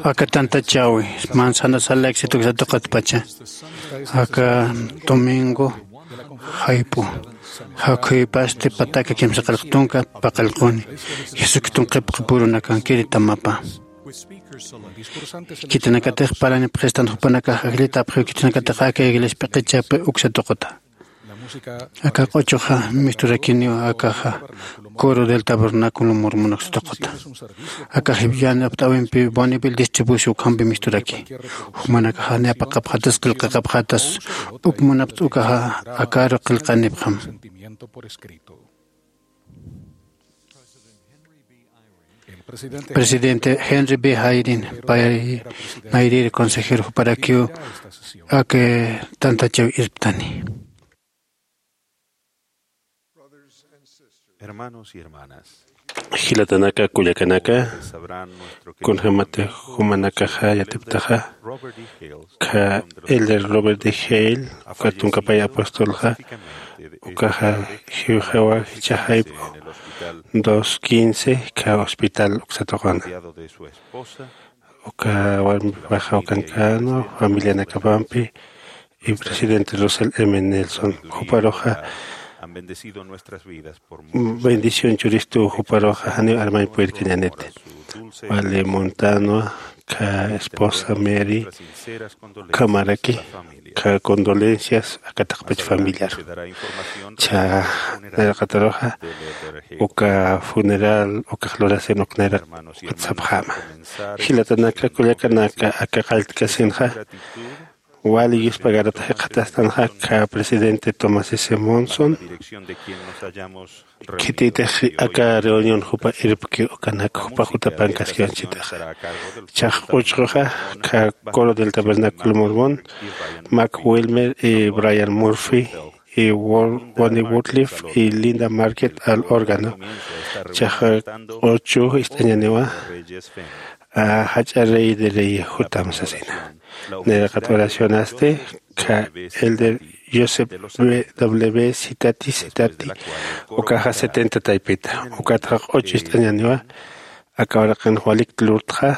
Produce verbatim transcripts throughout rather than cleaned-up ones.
Aka tantachawi, Manzanares al éxito uksa tuqitpacha. Aka domingo jayp'u jakhuypasti pataka kimsa qillq tunka paqallquni. Jesucristun qhipqipurunakankiri tamapa. Khitinakatix parani phistan jupanakax ajllita apxiw khitinakatix aka iglesia p'iqichapi uksa tuquta. Aka q'uchuxa misturakiniw akaxa coro del tabernáculo mormon uksa tuquta. Akax yanapt'äwimpi Bonneville distribución ukhampi misturaki. Jumanakaxa ni apaqapxatas qillqaqapxatas uk munapt'a ukaxa akaru qillqanipxam. Presidente Henry B. Hayrin, pay nayrïr consejero juparakiw aka tantachaw irptani. Hermanos y hermanas, jilatanaka, kullakanaka, kunjämati jumanakaxa yatiptaxa, kha Elder Robert D. Hale, uka tunkapay apostolxa, ukaxa jiwxawa jichha jayp'u dos quince, kha hospital uksa tuquna. Uka warmipaxa ukankänwa, familianakapampi, y presidente Russell M. Nelson, juparuxa bendición churistu, juparuxa janiw armañ puyirkañäniti. Wali muntanwa, kha esposa Mary, khamaraki, kha condolencias aka taqpach familiar. Cha nayraqataruxa, uka funeral, ukax lurasin uk nayraq sapxäma. Jilatanaka, kullakanaka, aka qalltkasinxa, wali yuspagarata jikxatastanxa, kha presidente Thomas S. Monson, khititix aka reunión jupa irpki ukanak jupa jutapankaskiwanchitixa. Chax q'uchxuxa, kha coro del tabernáculo mormón, Mac Wilmer y Brian Murphy, y Wor-, Ronnie Woodliff y Linda Market al órgano. Chax q'uchu ist'añaniwa, a, jach'a rey de rey jutam sasina. Nayraqat oracionasti, kha Elder Joseph W. Citati, Citati, ukaxa setenta taypita. Ukatxa q'uchu ist'añaniwa, aka uraqin walik lurtxa.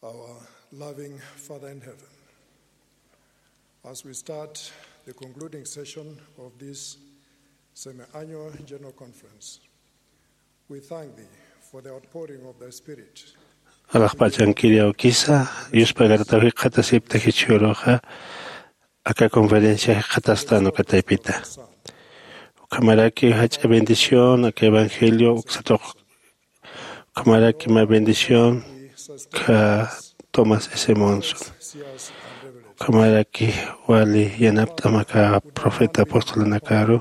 Our loving Father in heaven, as we start the concluding session of this semi-annual General Conference, we thank thee for the outpouring of thy Spirit. Alaxpach'ankiri awkisa, yuspagarataw jikxatasipta jichhüruxa, aka conferencia jikxatastan uka taypita. Ukhamaraki jach'a bendición aka evangelio uksatuq. Ukhamaraki mä bendición kha Thomas S. Monson. Ukhamaraki wali yanapt'am aka profeta apostolanakaru.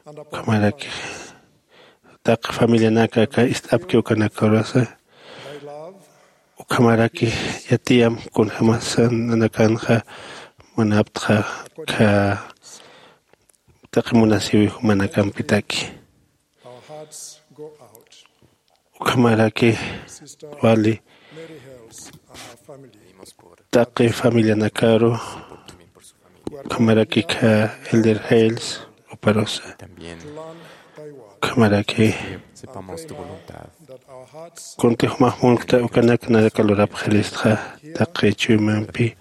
Ukhamaraki taqi familianaka aka ist'apki ukanakarusa. Ukhamaraki yatiyam kunjämasa nanakanxa munaptxa kha taqi munasiwi jumanakampitaki. Ukhamaraki wali taqi familianakaru, ukhamaraki kha Elder Hales uparusa. Ukhamaraki kuntix jumax munkta ukanak naraka lurapxiristxa taqi chuymampi,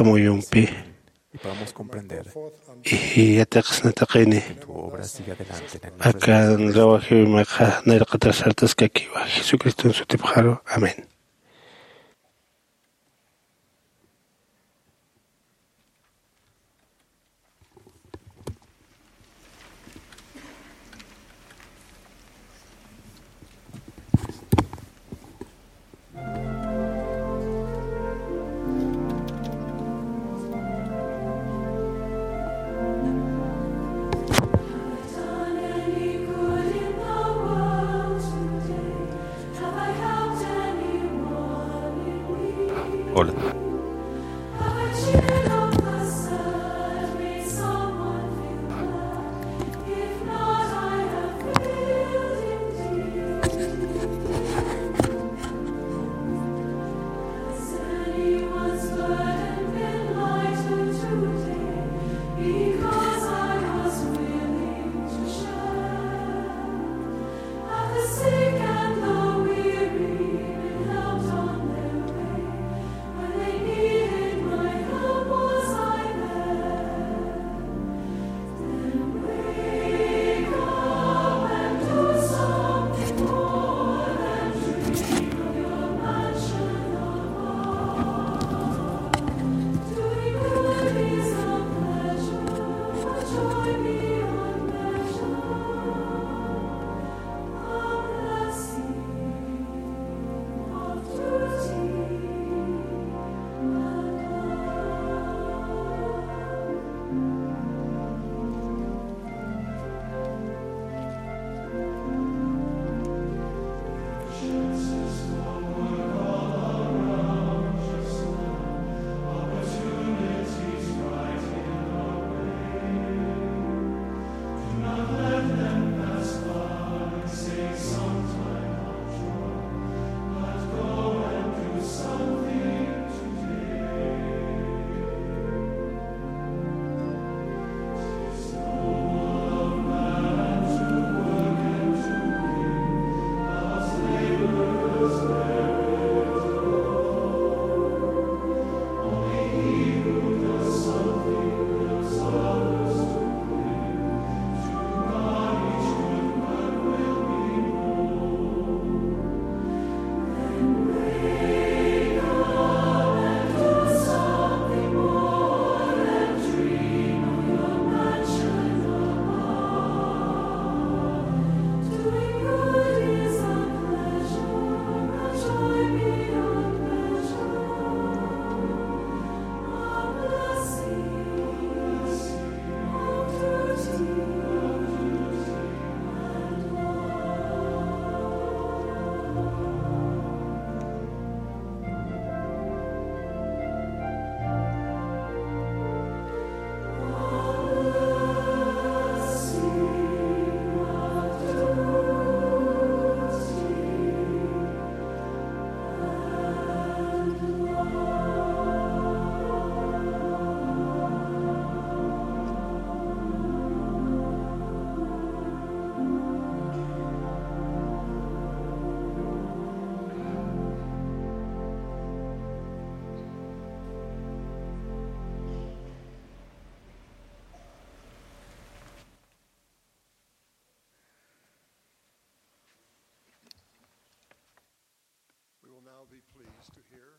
amuyumpi, y yatiqsna taqini akan rawajiwimaxa nayraqatar sartaskakiwa. Jesucriston sutipxaru. Amén. Hola.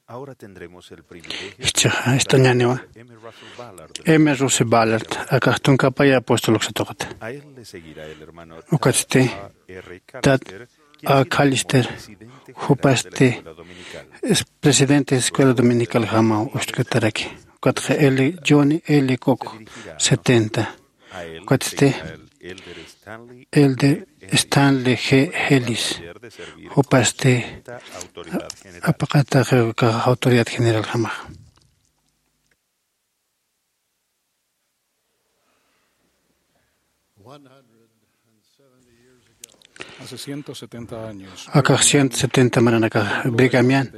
Ahora tendremos el privilegio. Ichaxa ist'añäniwa. M. Russell Ballard. M. Russell Ballard, akax tunkapaya apóstol uksatuqata. A él le seguirá el hermano ukatsti Tad A. Callister, jupasti es presidente de escuela dominical jama usk'utaraki. Ukatxa L. Johnny L. Cook, setenta. Ukatsti Elder Stanley G. Ellis, jupasti apaqataxa autoridad general jamaxa. Hace ciento setenta años, akax ciento setenta maranakax Brigham Young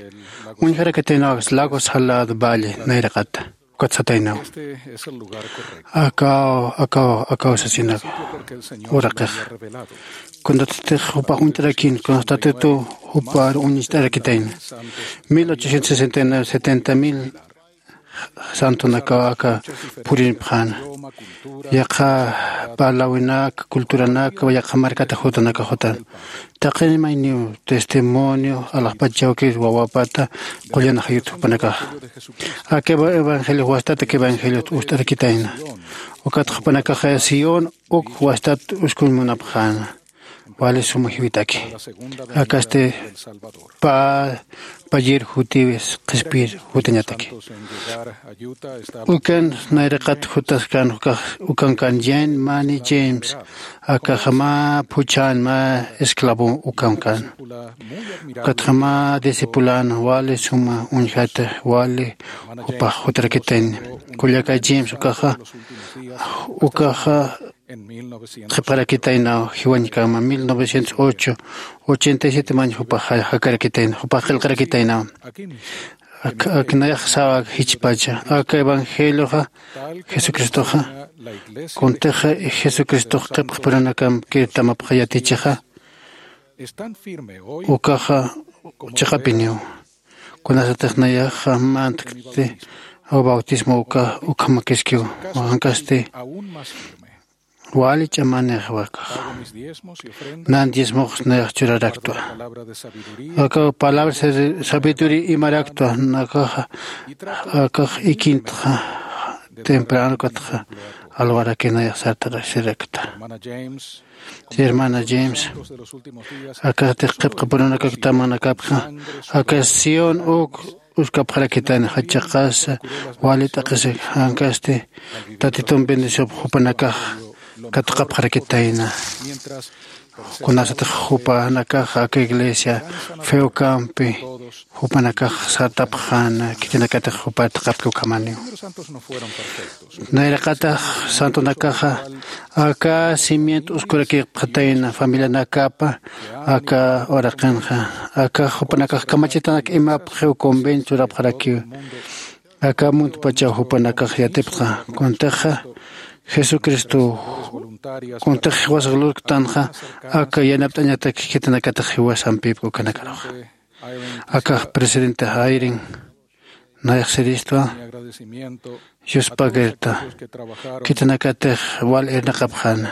uñjarakitaynaw Lago Salado Valle nayraqata. Ukat sataynaw. Este es el lugar correcto. Akaw akaw akaw sasina uraqix. Kunatix jupax uñt'arakin kunatix Tatitu jupar uñt'arakitayna. Mil ochocientos sesenta y nueve, setenta mil santonakaw aka purinpxäna. Yaqha parlawinak, culturanak yaqha markata jutanakax jutan. Taqin mayniw testimonio alaxpachawkir wawapata qullan ajayut jupanakaxa. Aka evangeliox wastat aka evangeliot ust'arakitayna. Ukat jupanakaxa Sión uk wastat uskuñ munapxäna. Wali suma jiwitaki. Akasti pä payir jutiwis qhispir jutañataki. Ukan nayraqat jutaskan ukax ukankan Jean Mani James. Akaxa mä phuchhan mä esclavo ukankan. Ukatxa mä discipulana wali suma uñjata wali jupax jutarakitayna. Kullaka James ukaxa ukaxa qhipxarakitaynaw jiwañkama mil novecientos ocho, ochenta y siete mañ jupax jakarakitayna jupax qillqarakitaynaw. Ak nayax sawa jichpacha aka evangelioxa jesucristoxa kuntixa jesucristox qhipxpuranakamp kirtamapxa yatichixa ukaxa chiqapiniw. Kunasatix nayaxa mantkti bautismo uka ukhamakiskiw. Jankasti wali ch'amanix wakax nan diezmox nayax churaraktwa. Aka palabra sabiduría imaraktwa nakaxa akax ikintxa temprano katxa alwaraki nayax sartaraksirakta. Hermana James, akatix qhipqapurunakaktamanakapxa aka Sión uk uskapxarakitayna jachaqasa wali t'aqhisa jankasti tatitum bendisyup jupanakax katuqapxarakitayna. Kunasatix jupanakax aka iglesia feokampi jupanakax sartapxäna khitinakatix jupar taqapki ukhamaniw. Nayraqatax santonakaxa aka cimiento uskurakipxatayna familianakapa aka uraqinxa aka jupanakax kamachitanak imapxiw convenio churapxarakiw. Aka muntpachaw jupanakax yatipxta kuntixa jesucristo kuntix jiwasaq lurktanxa aka yanapt'añatak khitinakatix jiwasampipki ukanakaruxa. Akax presidente Hayring nayaxsiristwa yuspagirta khitinakatix wal irnaqapxäna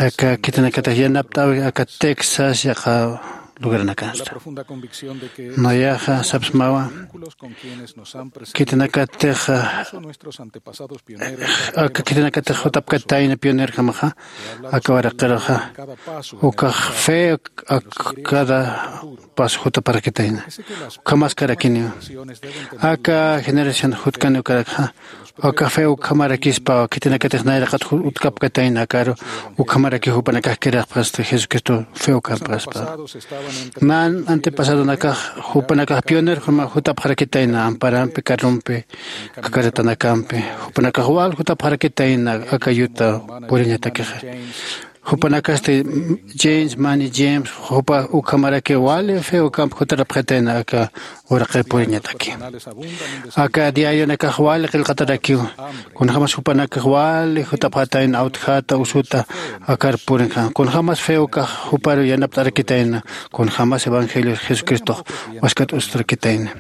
aka khitinakatix yanapt'äwi aka texas yaqha lugaranakansta. Nayaxa sapsmawa khitinakatix aka khitinakatix jutapkatayna pionerjamaxa aka waraqiruxa ukax fe ak cada paso jutapxarakitayna. Ukhamaskarakiniw aka generación jutkaniw karakxa aka fe ukhamarakispawa khitinakatix nayraqat utkapkatayna akaru ukhamarakiw jupanakax kiraqpxasta jesucristo fe ukhampxaspa. Nan antepasadonakax jupanakax pionerjama jutapxarakitayna amparampi carrompi kakaratanakampi jupanakax wal jutapxarakitayna aka yuta puriñatakixa. Jupanakasti james mani james jupa ukhamaraki wali fe ukamp jutarapxitayna aka uraqir puriñataki. Aka diarionakax wali qillqatarakiw kunjämas jupanakax wali jutapxatayna awtjata usuta akar purinxa kunjämas fe ukax juparu yanapt'arakitayna kunjämas evangelio jesucristox waskat usturakitayna.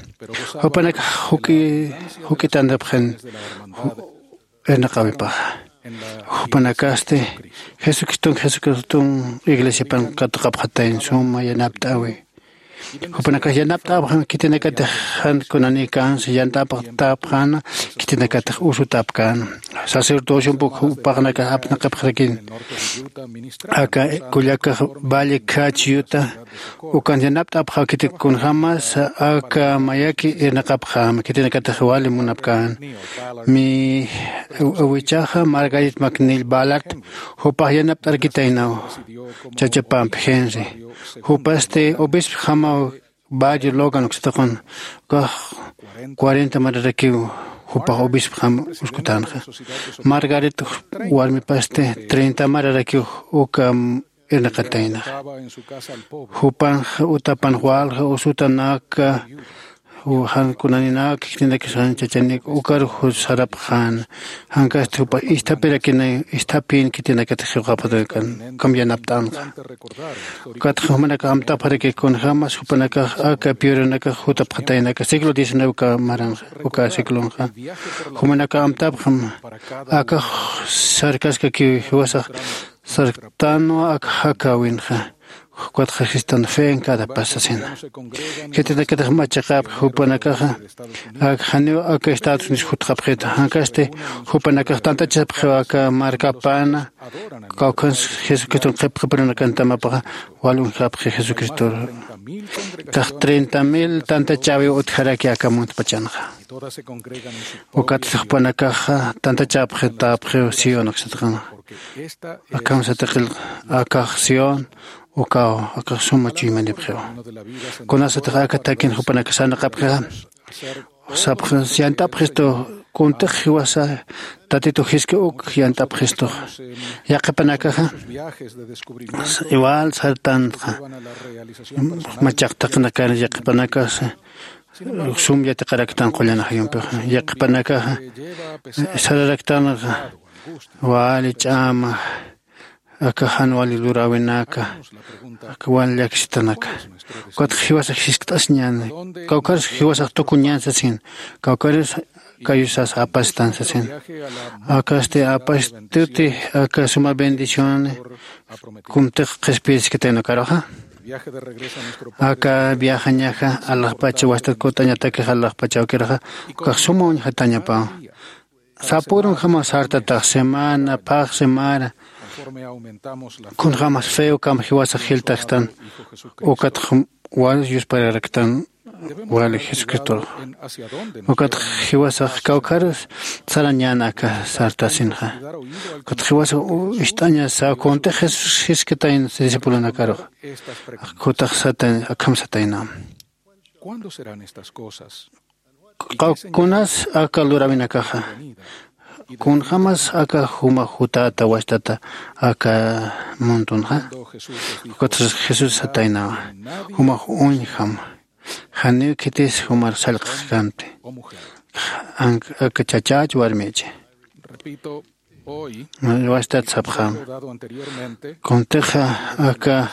Jupanakax juk'itanrapxin irnaqäwipaxa jupanakasti jesucriston jesucriston iglesiapan katuqapxatayna suma yanapt'äwi. Jupanakax yanapt'apxam khitinakatix jan kunanikansa yant'apxtapxäna khitinakatix usutapkäna. Sacerdociompu jupaxnakax apnaqapxarakin aka kullakax valle khach yuta ukan yanapt'apxaw khitik kunjämas aka mayaki irnaqapxäma khitinakatix wali munapkäna. Mi awichaxa Margaret McNeil Ballard jupax yanapt'arkitaynaw chachapampi Henry jupasti obispjamaw barrio Logan uksataqun ukax cuarenta mararakiw jupax obispjam uskutanxa. Margaret warmipasti treinta mararakiw uka irnaqataynaxa. Jupanxa utapan walxa usutanaka jan kunaninaka khitinakasxan chachanik ukarux sarapxän jankasti jupa isthapirakinay isthapin khitinakatix jiwxapxatakan ukham yanapt'änxa. Ukatxa jumanakax amtapxaraki kunjämas jupanakax aka piorunakax jutapxataynaka siglo diecinueve uka maranxa uka ciclonxa jumanakax amtapxam akax sarkaskakiw jiwasax sarktanwa ak jakäwinxa. Ukatxa jistan fe en cada paz sasina khitinakatix machaqäpki jupanakaxa ak janiw aka estados unidos jutxapxita jankasti jupanakax tantachapxiw aka markapäna kawkhansa jesucriston qhipqhipirunakantamapaxa wal uñjapxi jesucristor. Kax treinta mil tantachäwiw utjaraki aka muntpachanxa. Ukatsti jupanakaxa tantachapxitäpxiw sion aksataqanxa. Akham satiqil akax sion ukaw akax suma chuymanipxiw. Kunasatix aka takin jupanakax sarnaqapxixa sapxis yant'apxistu kuntix jiwasa tatitu jiski uk yant'apxistux. Yaqhipanakaxa igual sartanxa machaqtaqnakar yaqhipanakasa sum yatiqaraktan qullan ajayumpixa yaqhipanakaxa sararaktanxa wali ch'ama aka jan wali luräwinaka aka wali llakistanaka. Ukatxa jiwasax jiskt'asiñäni kawkharus jiwasax tukuñän sasin kawkharus kayusas apastan sasin. Akasti apastuti aka suma bendicioni kuntix qhispiyasiskataynakaruxa aka viajañaxa alaxpacha wastat kut'añatakix alaxpachawkiraxa ukax suma uñjatañapaw. Sapürunjama sartatax semana phax semana kunjämas feokam jiwasax jiltaxtan ukatx wal yuspararaktan wali jesucristor. Ukatx jiwasax kawkharus sarañän aka sartasinxa. Ukatx jiwasax ist'añasa kuntix jesús jiskatayna discipulonakarux. Akutax sata akham satayna. Kunas aka luräwinakaxa kunjämas aka jumax jutäta wastata aka muntunxa. Ukatxa jesús sataynawa jumax uñjam janiw khitis jumar sallqaxkanti. Aka chachach warmichi wastat sapxam kuntixa aka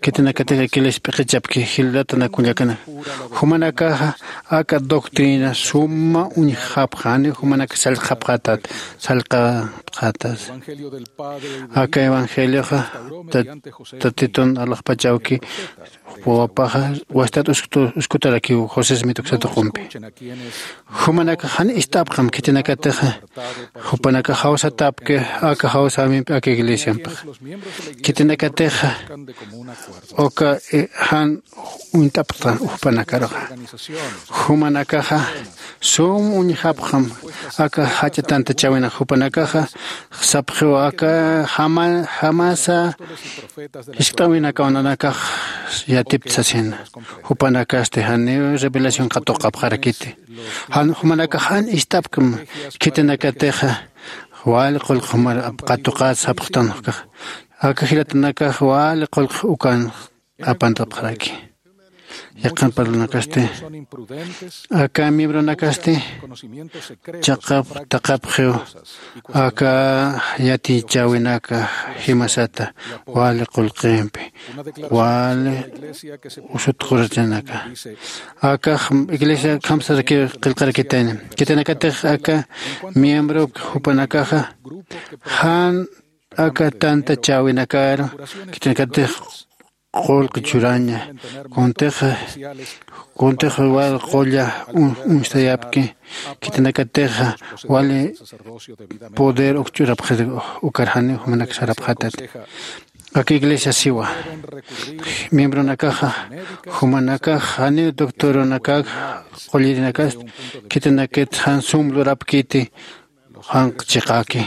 khitinakatix iglesias p'iqichapki jillatana kullakana jumanakaxa aka doctrina suma uñjapxani jumanaka sallqapxatat sallqapxatas. Aka evangelioxa tatitun alaxpachawki wawapaxa wastat uskutarakiw josé smith uksatuqumpi. Jumanakax jan ist'apxam khitinakatixa jupanakax jawsatapki aka jawsäwimpi aka iglesiampix khitinakatixa uka jan uñt'apxta jupanakaruxa. Jumanakaxa sum uñjapxam aka jach'a tantachäwinax jupanakaxa sapxiw aka jamasa jiskt'äwinakaw nanakax yatipta sasina. Jupanakasti janiw revelación qatuqapxarakiti. Jan jumanakax jan ist'apkam khitinakatixa wali qullqi jumar qatuqät sapxtan ukax aka jilatanakax wali qullqi ukan apantapxaraki. Yaqhan parlanakasti aka miembronakasti chaqap taqapxiw aka yatichäwinaka jimasata wali qullqimpi wali usutqurachanaka. Akax iglesia khamsarakiw qillqarakitayna khitinakatix aka miembro jupanakaxa jan aka tantachäwinakaru khitinakatix qullqi churaña. Kuntix kuntix wal qulla un- uñstayapki, khitinakatix wali poder uk ch'urapxit. Ukar janiw jumanak sarapxatat. Aka iglesia siwa miembronakaxa, jumanakax janiw doctoronakak qullirinakast khitinakit jan sum lurapkiti. Janq chiqaki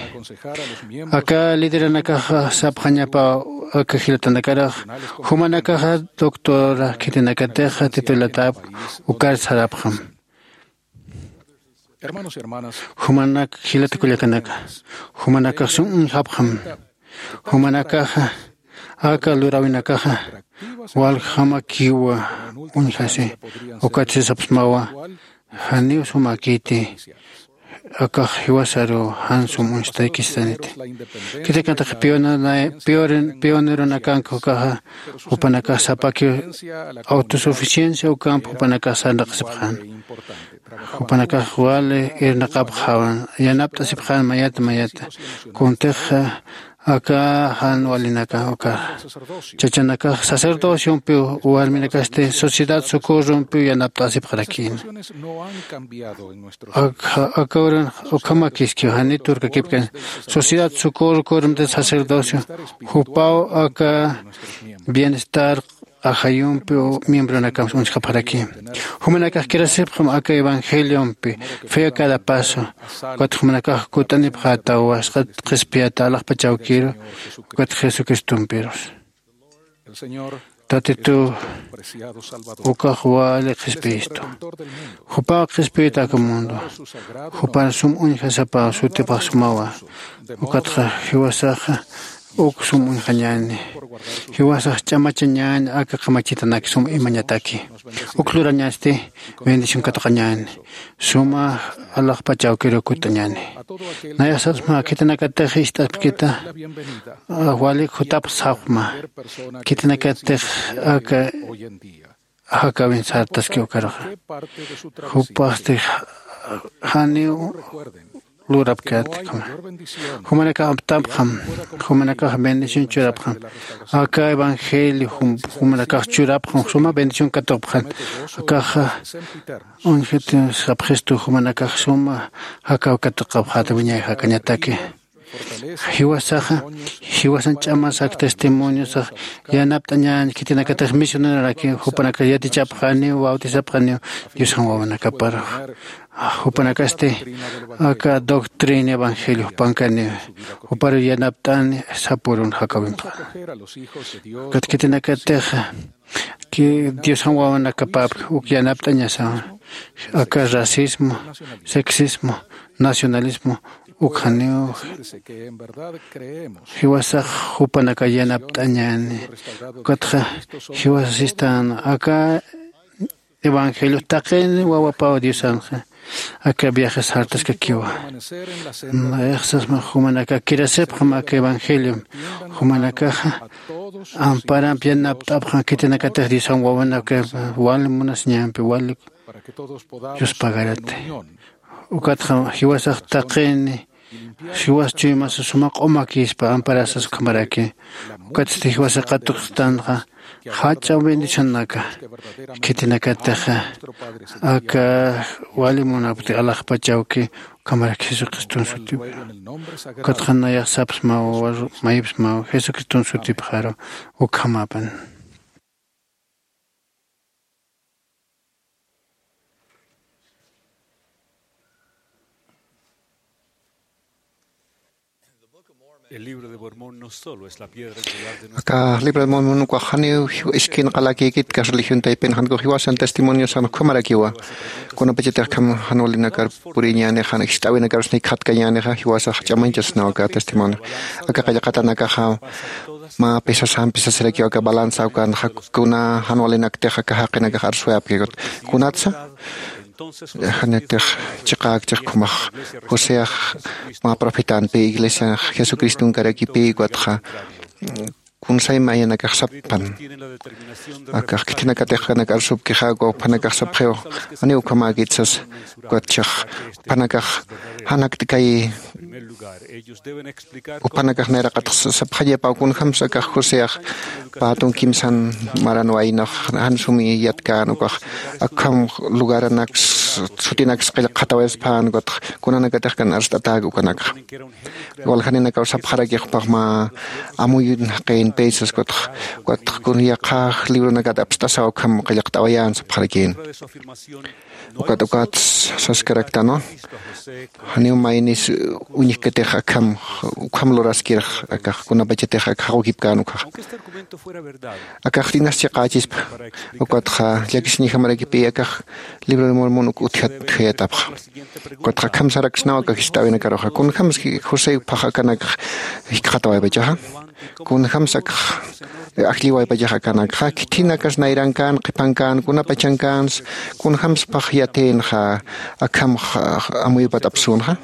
aka lideranakaxa sapxañapa aka jilatanakarax, jumanakaxa doctora khitinakatixa titulatap ukar sarapxam. Jumanak jilata kullakanaka, jumanakax sum uñjapxam. Jumanakaxa aka luräwinakaxa waljamakiwa uñjasi. Ukat sisapsmawa janiw sumakiti. Akax jiwasaru jan sum uñstaykistaniti. Khitinakatix pioneronakank ukaxa jupanakax sapakiw autosuficiencia ukamp jupanakax sarnaqsipxän. Jupanakax wali irnaqapxawan yanapt'asipxän mayata mayata. Kuntixa aka jan walinaka uka chachanakax sacerdociompiw warminakasti sociedad socorrompiw yanapt'asipxarakïna. Aka aka uran ukhamakiskiw janitur kakipkan sociedad socorro corromte sacerdocio jupaw aka bienestar ajayumpi miembronakam uñjapxaraki. Jumanakax kirasipxam aka evangeliompi fe a cada paso. Ukat jumanakax kut'anipxätawa sqat qhispiyata alaxpachawkiru ukat jesucristompirus. Tatitu ukax wali qhispiyistu. Jupaw qhispiyit aka mundo. Jupar sum uñjasapaw sutipax sumawa. Ukatxa jiwasaxa uk sum uñjañäni. Jiwasax ch'amachañäni aka qamachitanak sum imañataki. Uk lurañasti bendición katuqañäni. Suma alaxpachawkiru kut'añäni. Nayax sapsma khitinakatix ist'aspkita walik jutapxsapxma. Khitinakatix aka jakawin sartaski ukaruxa jupasti janiw lurapkät. Jumanakax aptapxam. Jumanakax bendición churapxam. Aka evangelio jumanakax churapxam suma bendición katupxan. Akaxa uñjiti sapxistu jumanakax suma jakaw katuqapxäta wiñay jakañataki. Jiwasaxa jiwasan ch'amasaki testimoniosax yanapt'añäni khitinakatix misioneroraki jupanakax yatichapxaniw bautisapxaniw diosan wawanakaparux. Jupanakasti aka doctrina evangelio jupankaniw juparu yanapt'ani sapurun jakawimxa. Ukat khitinakatixa diosan wawanakapapki uk yanapt'añasawa. Aka racismo, sexismo, nacionalismo uk janiw jiwasax jupanaka yanapt'añäni. Ukatxa jiwasasistan aka evangelio taqin wawapaw diosanxa aka viajes sartaskakiwa. Nayaxsasma jumanaka kirasipxam aka evangeliom jumanakaxa amparamp yanapt'apxam khitinakatix diosan wawanaka wali munasiñampi wali yuspagarati. Ukatxa jiwasax taqini jiwas chuymasa suma q'umakispa amparasas ukhamaraki. Ukatsti jiwasa qatuqstanxa jach'a bendicionaka khitinakatixa aka wali munapti alaxpachawki ukhamaraki jesucriston sutipxaru. Ukatxa nayax sapsmaw mayipsmaw jesucriston sutipxaru ukhamapan. El libro de Mormón no solo es la piedra angular de nuestra aka libro de Mormon ukax janiw iskin qalakïkit kas religión taypin janku jiwasan testimoniosan ukhamarakiwa. Kunapachatix kham jan walinakar puriñänixa jan ist'äwinakarus nikxatkañänixa jiwasax ch'amañchasnaw aka testimonio. Aka qillqatanakaxa mä pesasampi sasirakiw aka balanza ukan kuna jan walinaktix aka jaqinakax arswayapkikut kunatsa. Janitix chiqäkchix khumax joseax mä profetanpi iglesianax jesucristonkarakipï ukatxa kunsay mayanakax sappan. Akax khitinakatix kanak arsupkixäku juphanakax sapxiw janiw ukhamäkit sasa. Ukatchix juphanakax jan jakt'kay Jupanakax nayraqatax sapxañapaw kunjämsa akax joseax pätun kimsan maran waynax jan sumi yatkän ukax akham lugaranaks sutinaks qillqxatawayaspän ukatax kunanakatix kan arst'atäk ukanakxa. Waljaninakaw sapxarakix jupax mä amuyun jaqin pesas ukatax ukatax kun yaqha libronakat apst'asaw akham qillqt'awayän sapxarakïn. Ukat ukat saskaraktanwa janiw maynis uñjkatix akham ukham luraskirx akax kunapachatix ak jaqukipkän ukhaxa. Akax inas chiqächispa ukatxa llakisiñjamarakipï akax libro de mormon uk utjat utjayatapxa. Ukatxa akham saraksnaw akax jist'äwinakaruxa kunjämsa josé phax akanakxa jikxatawaypachaxa. Kunjämsa akax ajlliwaypachax akanakxa khithinakas nayrankän qhipankän kunapachankäns kunjämsa phax yatïnxa akham amuyupat apsünxa.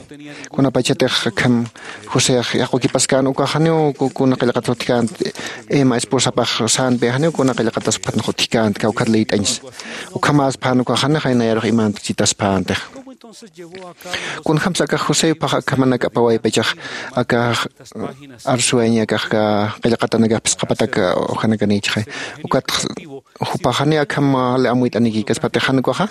Kunapachatix akham joseax yaqukipaskän ukax janiw kuna qillqatas utjkänti. Ima esposapax sänpi janiw kuna qillqatas phatnax utjkänti kawkhat liyt'añsa. Ukhamäspän ukax janixa nayarux imanta chitaspäntixa. Kunjämsa akax josé phax akhamanak apawaypachax akax arsuwayaña akax qillqatanakax phisqapatak ujanakanïchixay. Ukatxa jupax janiw akham wali amuyt'anikïkaspatix jan ukaxa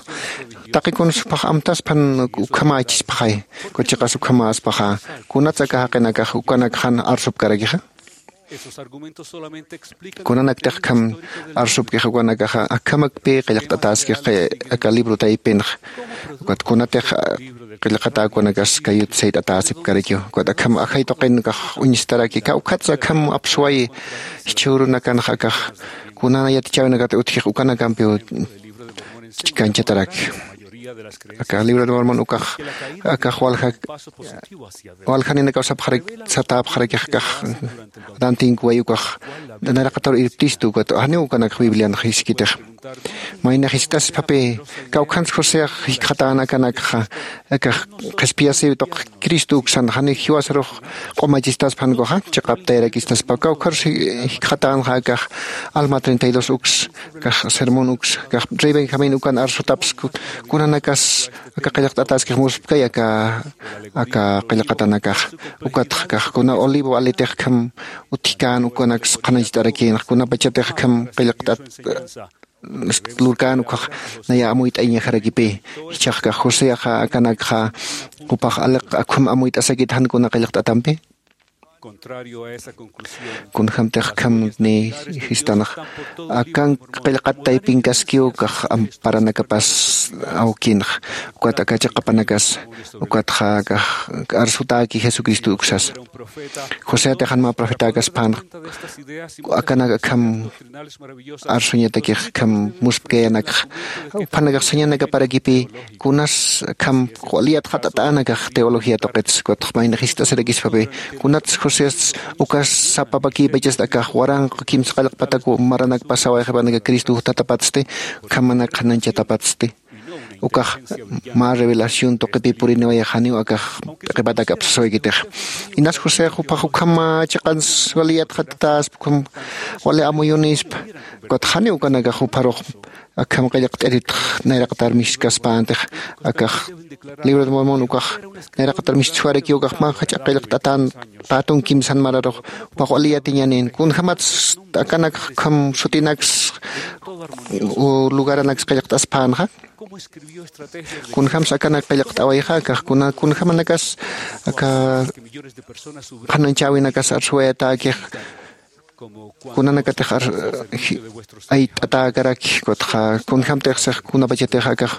taqi kuns phax amtaspan ukhamächispaxay. Kuchiqas ukhamäspaxa kunats aka jaqinakax ukanakxan arsupkarakixa. Kunanaktix akham arsupkix ukanakaxa akhamakpi qillqt'atäskix aka libro taypinxa. Ukat kunatix qillqatäkunakas kayut sayt'atäsipkarakiw ukat akham ajay tuqinkax uñistaraki kawkhatsa akham apsuwayi. Jichhürunakanxa akax kuna yatichäwinakat utjix ukanakampiw chikañchataraki. Aka libro de mormon ukax akax walja waljaninakaw sapxarak satäpxarakix akax adantinkuway ukax nayraqatar irptistu ukat janiw ukanakax biblianx jiskitix. Maynax jiskt'asispapï kawkhans joseax jikxatän akanakxa akax qhispiyasiw tuq cristo uksan janiw jiwasarux q'umachistaspa jan ukaxa chiqaptayarakistaspa kawkharus jikxatänxa akax alma treinta y dos uks akax sermón uks akax rey benjamín ukan arsutaps kunanakas aka qillqt'ataskix muspkay aka aka qillqatanakax. Ukatxa akax kuna olivo alitix akham utjkän ukanaks qhanañcht'arakïnxa kunapachatix akham qillqt'at lurkän ukhax naya amuyt'ayañajarakipï. Jichhax akax joseaxa akanakxa jupax aliq akham amuyt'asakit jan kuna qillqt'atampi. Kunjämtix akham ni jistanax akan qillqat taypinkaskiw akax amparanakapas awkinx ukat aka chiqapanakas ukatxa akax arsutäki jesucristo uksasa. Joseatix jan mä profetäkaspänx akanak akham arsuñatakix akham muspkayanakxa. Uphanakax sañanakaparakipï kunas akham wali yatxat'atänakax teología tuqits ukatx maynax jiskt'asirakispapï kunats josés ukas sapapakïpachasta akax waranqa kimsa qillqpatak maranakpasaway qhipanaka cristo juttatapatsti. Akhamanak qhanañchatapatsti ukax mä revelación tuqipï puriniwayxaniw akax p'iqipatak apsaswaykitix. Inas josé jupax ukham chiqans wali yatxatatäspa ukham wali amuyunispa. Ukatxaniw ukanakax jupharux akham qillqt'iritx nayraqatar miskaspäntix akax libro de mormón ukax nayraqatar miskaswarakiw ukax mä jach'a qillqt'atän pätun kimsan mararux jupax wali yatiñanin kunjämats akanakx ukham sutinaks lugaranaks qillqt'aspänxa. Kunjämsa akanak qillqt'awayxa akax kuna kunjämanakas aka qhanañchäwinakas arsuwayatäkix kunanakatix ayt'atäkaraki ukatxa kunjämtix six kunapachatix akax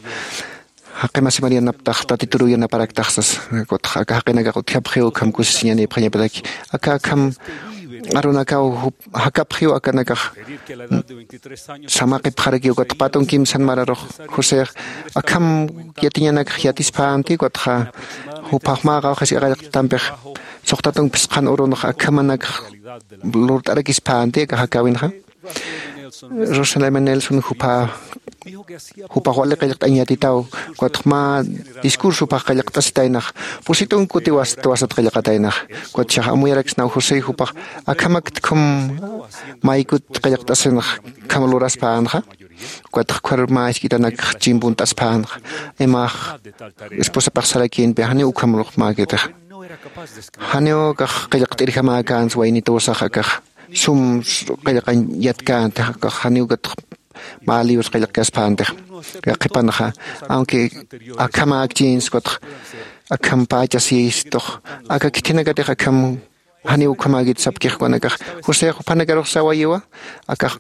jaqi masimar yanaptax tatituru yanaparaktaxsas. Ukatxa aka jaqinakax utjapxiw ukham kusisiñanïpxañapataki aka akham arunakaw jakapxiw akanakax samaqipxarakiw ukatxa pätun kimsan mararux josex akham yatiñanakax yatispänti ukatxa jupax mä qawqhis qillqt'atampix suxtatun phisqhan urunx akhamanakax lurt'arakispänti aka jakäwinxa. Rosalía nelson jupa jupax wali qillqt'añ yatitaw. Ukatx mä discurso jupax qillqt'asitaynax pusitun kuti wasat qillqataynax. Ukatxax amuyaraksnaw josé jupax akhamakta khum maykut qillqt'asinax kham luraspänxa. Ukatx ukhar mä isk'itanakx chimpunt'aspänxa imax esposapax sarakïnpi janiw ukham lux mäkitix. Janiw akax qillqt'irjamäkänsa waynitusax akax sum qillqañ yatkäntix, akax janiw ukatx mä libros qillqkaspäntixa. Qhipanxa, aunque akhamäkchïnsa, ukatx akham pächasïstux, aka khithinakatix akham janiw ukhamäkit sapkix ukanakax. José juphanakarux sawayiwa, akax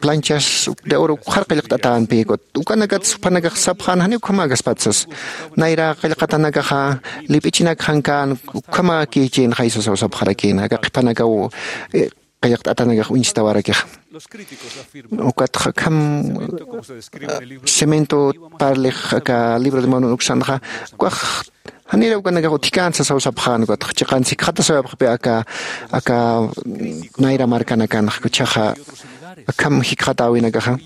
planchas de oro ukxar qillqt'atänpï, ukat ukanakats jupanakax sapxän janiw ukhamäkaspati sas. Nayra qillqatanakaxa lip'ichinak jankän ukhamäkïchïnxay sasaw sapxarakïna, aka qhipanakaw, eh, qillqt'atanakax uñstawarakixa. Ukatxa akham, ah, cemento parlix aka Libro de Mormon uksanxa, ukax janira ukanakax utjkän sasaw sapxän, ukatxa chiqan sikxatasawayapxpï aka, aka, mm, nayra markanakanxa, jichhaxa akham jikxatäwinakaxa.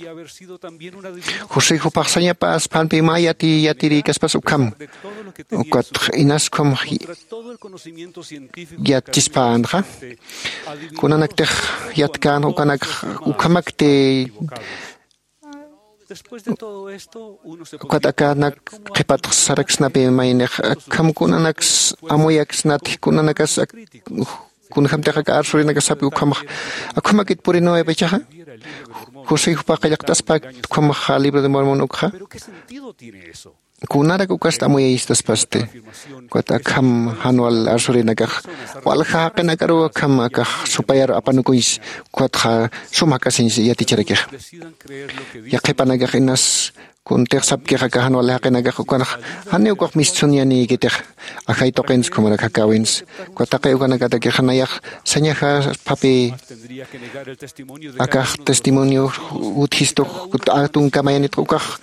José jupax sañapäspänpï mä yati, yatirïkaspas ukham. Ukatxa inas ukham yatchispänxa. Kunanaktix yatkän ukanakxa ukhamakti. Ukat akanak qhipatx saraksnapï maynix, akham kunanaks amuyaksnati, kunanakas ak-, kunjämtix aka arsurinakax sapki ukhamax, akhamakit puriniwayapxi jichhaxa. José jupax qillqt'aspäkti ukhamaxa Libro de Mormon ukxa. Kunarak ukast amuyayistaspasti. Ukat akham jan wal arsurinakax walja jaqinakaruw akham akax supayar apanukuñs, ukatxa sum jak'asiñs yaticharakixa. Yaqhipanakax inas kuntix sapkix aka jan wal jaqinakax ukanx janiw ukax mistsuñanïkitix, ajay tuqins ukhamarak jakäwins. Ukat taqi ukanakatakix nayax sañajaspapï akax testimonio utjistux, tunka mayanitx ukax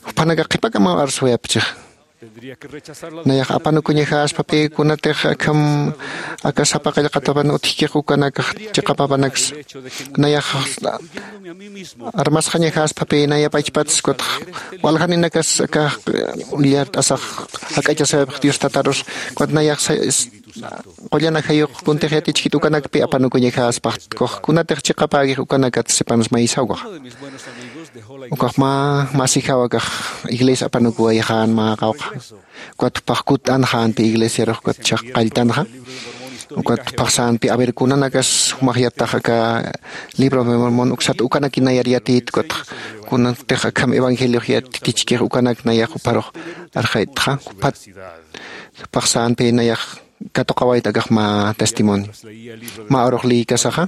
jupanakax qhipakamaw arsuwayapchix. Nayax apanukuñajaspapï kunatix akham aka sapa qillqatapan utjkix ukanakax chiqapapanaks. Nayax armasxañajaspapï naya pachpats, ukatx waljaninakas aka ullart'asax jak'achasawayapxi Dios Tatarus, ukat nayax sa-, s-, qullan ajayux kuntix yatichkit ukanakpï apanukuñajaspax, kux kunatix chiqapäkix ukanakat sipanas maysaw ukax. Ukax mä masijaw akax iglesia apanukuwayxän mä qawqha. Ukat jupax kutt'anxänpï iglesiarux, ukat jichhax qalltanxa. Ukat jupax sänpï, a ver, kunanakas jumax yattax aka Libro de Mormon uksat ukanaki nayar yatït, ukat kunatix akham evangeliox yatichkix ukanak nayax juparux arxaytxa, jupat jupax sänpï nayax katuqawayta akax mä testimonio. Mä urux liykasaxa,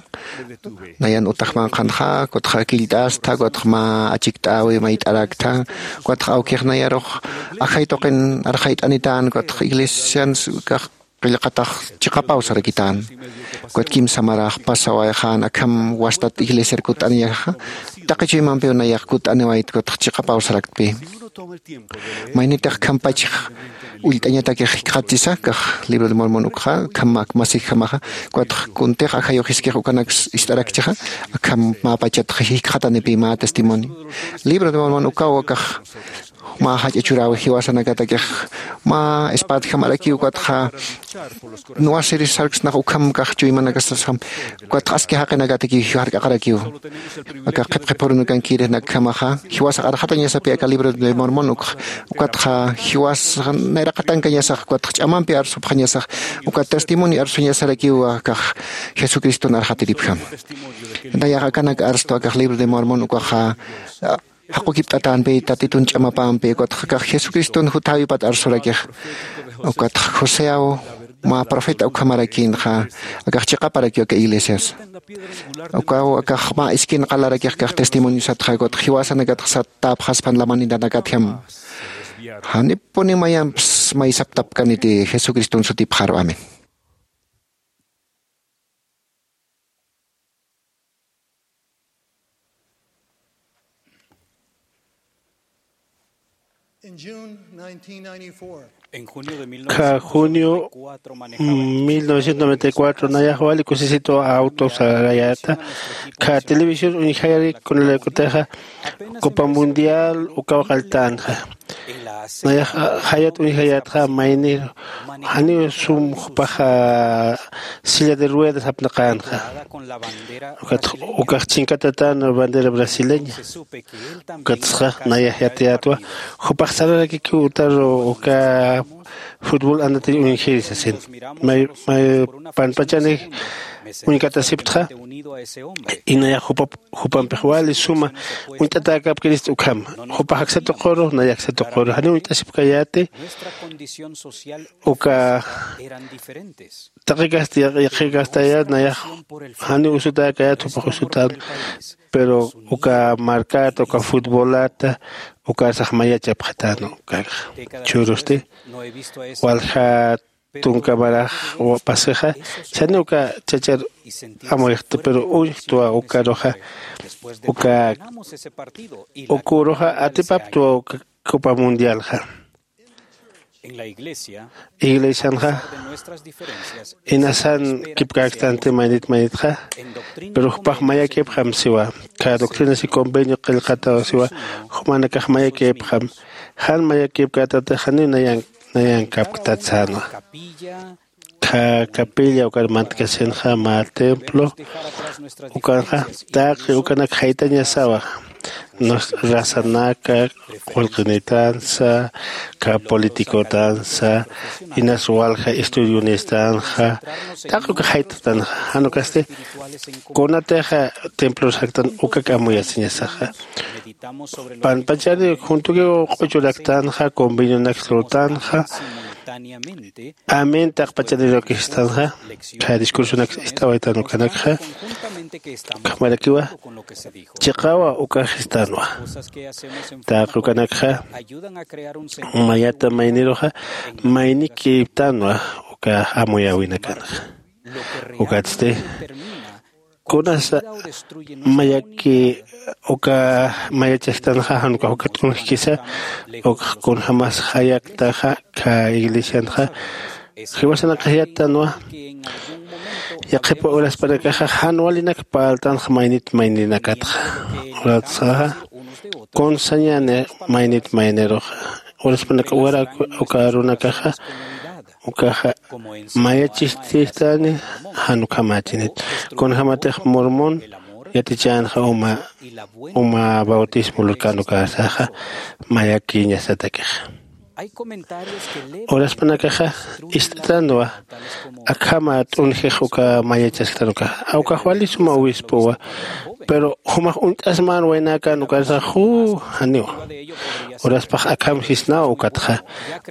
nayan utax manqhanxa, ukatxa killt'asta, ukatxa mä achikt'äwi mayt'araktha, ukatxa awkix nayarux ajay tuqin arxayt'anitän, ukatxa iglesians akax qillqatax chiqapaw sarakitän. Ukat kimsa marax pasawayxän akham wastat iglesiar kutt'aniñaxa, taqi chuymampiw nayax kutt'aniwayt, ukatxa chiqapaw saraktpï. Maynitix khampachix ullt'añatakix jikxatchisa, kax Libro de Mormon ukxa, kham ak masijamaxa, ukatx kuntix ajayux jiskix ukanaks ist'arakchixa, akham mä pachatx jikxatanipï mä testimonio. Libro de Mormon ukaw akax mä jach'a churäwi jiwasanakatakix, mä espadjamarakiw ukatxa, nuwasiri sarksnax ukham kax chuymanakasasxam, ukatx aski jaqinakatakiw jiwark'aqarakiw. Aka qhipqipurunakankirix nakhamaxa, jiwasax arxatañasapï aka Libro de Mormon ukx, ukatxa jiwas nayraqatankañasax, ukatx ch'amampi arsupxañasax, ukat testimonio arsuñasarakiw akax Jesucriston arxatiripjam. Nayax akanak arstu akax Libro de Mormon ukaxa, jaqukipt'atänpï Tatitun ch'amapampi, ukatxa akax Jesucriston juthäwipat arsurakix. Ukatxa Joseaw mä profeta ukhamarakïnxa, akax chiqaparakiw aka iglesias. Ukaw akax mä iskin qalarakix akax testimonio satxa, ukatxa jiwasanakatxa satäpxaspan lamanitanakatjam. Janipuni mayampis may saptapkaniti Jesucriston sutipxaru. Amén. En June nineteen ninety-four, Kha junio mil novecientos noventa y cuatro nayax wali kusisitu auto sarayata. Kha televisión uñjayari kunalaykutixa Copa Mundial ukaw qalltänxa. Nayax jayat uñjayatxa mayni janiw sum jupaxa silla de ruedas apnaqänxa. Ukat ukax chinkatatän bandera brasileña. Ukatxa nayax yatiyätwa jupax sararakikiw utaru uka futbol anatay uñjiri sasin. May may panpachani uñkatasiptxa, inayax jupampix wali suma uñt'atäkäpkirist ukham. Jupax aksa tuquru nayax aksa tuquru janiw uñt'asipkayäti. Uka taqikasti yaqhikastayät nayax janiw usutäkayät jupax usutän. Pero uka marcata uka futbolata ukarsax mayachapxatän ukax. Churusti walja tunka marax pasixa chani uka chachar amuyxta pero uñjtwa ukaruxa uka ukuruxa atipaptwa uka copa mundialxa. Iglesianxa inasan kipkäktanti maynit maynitxa. Pero jupax mayakipxam siwa kha doctrinas y convenio qillqataw siwa. Jumanakax mayakipxam jan mayakipkätatix janiw nayan nayankapktat sänwa. Kha capilla ukar mantkasinxa mä templo ukanxa taqi ukanak jaytañasawa. Rasanaka qullqinitansa kha politicotansa inas walja estudionestanxa taqi uka jaytxtanxa. Jan ukasti kunatixa templos jaktan ukak amuyasiñasaxa. Panpachani juntukiw q'uchuraktanxa convenionaksa lurtanxa. Amén taqpachanirukistanxa. Kha discursonak ist'awaytan ukanakxa ukhamarakiwa chiqawa ukaxistanwa. Taqi ukanakxa mayata mayniruxa maynikiptanwa uka amuyäwinakanxa. Ukatsti kunasa mayaki uka mayachajtanxa jan ukax uka t'unjkisa ukax kunjämas jayaktaxa kha iglesianxa. Jiwasanakax yattanwa yaqhipa uraspanakaxa jan walinak parltanxa maynit mayninakatxa. Uratsaxa kunsañäni maynit mayniruxa uraspanak uka arunakaxa ukaxa mayachististani jan ukhamächinit. Kunjämatix mormón yatichänxa uma uma bautismo lurkän ukasaxa mayakiñasatakixa. Uraspanakaxa ist'tanwa akhama t'unjix uka mayachasktan ukaxa ukax wali suma obispowa. Pero jumax uñt'asmän waynäkän ukarsax janiwa. Uraspax akham sisnawa ukatxa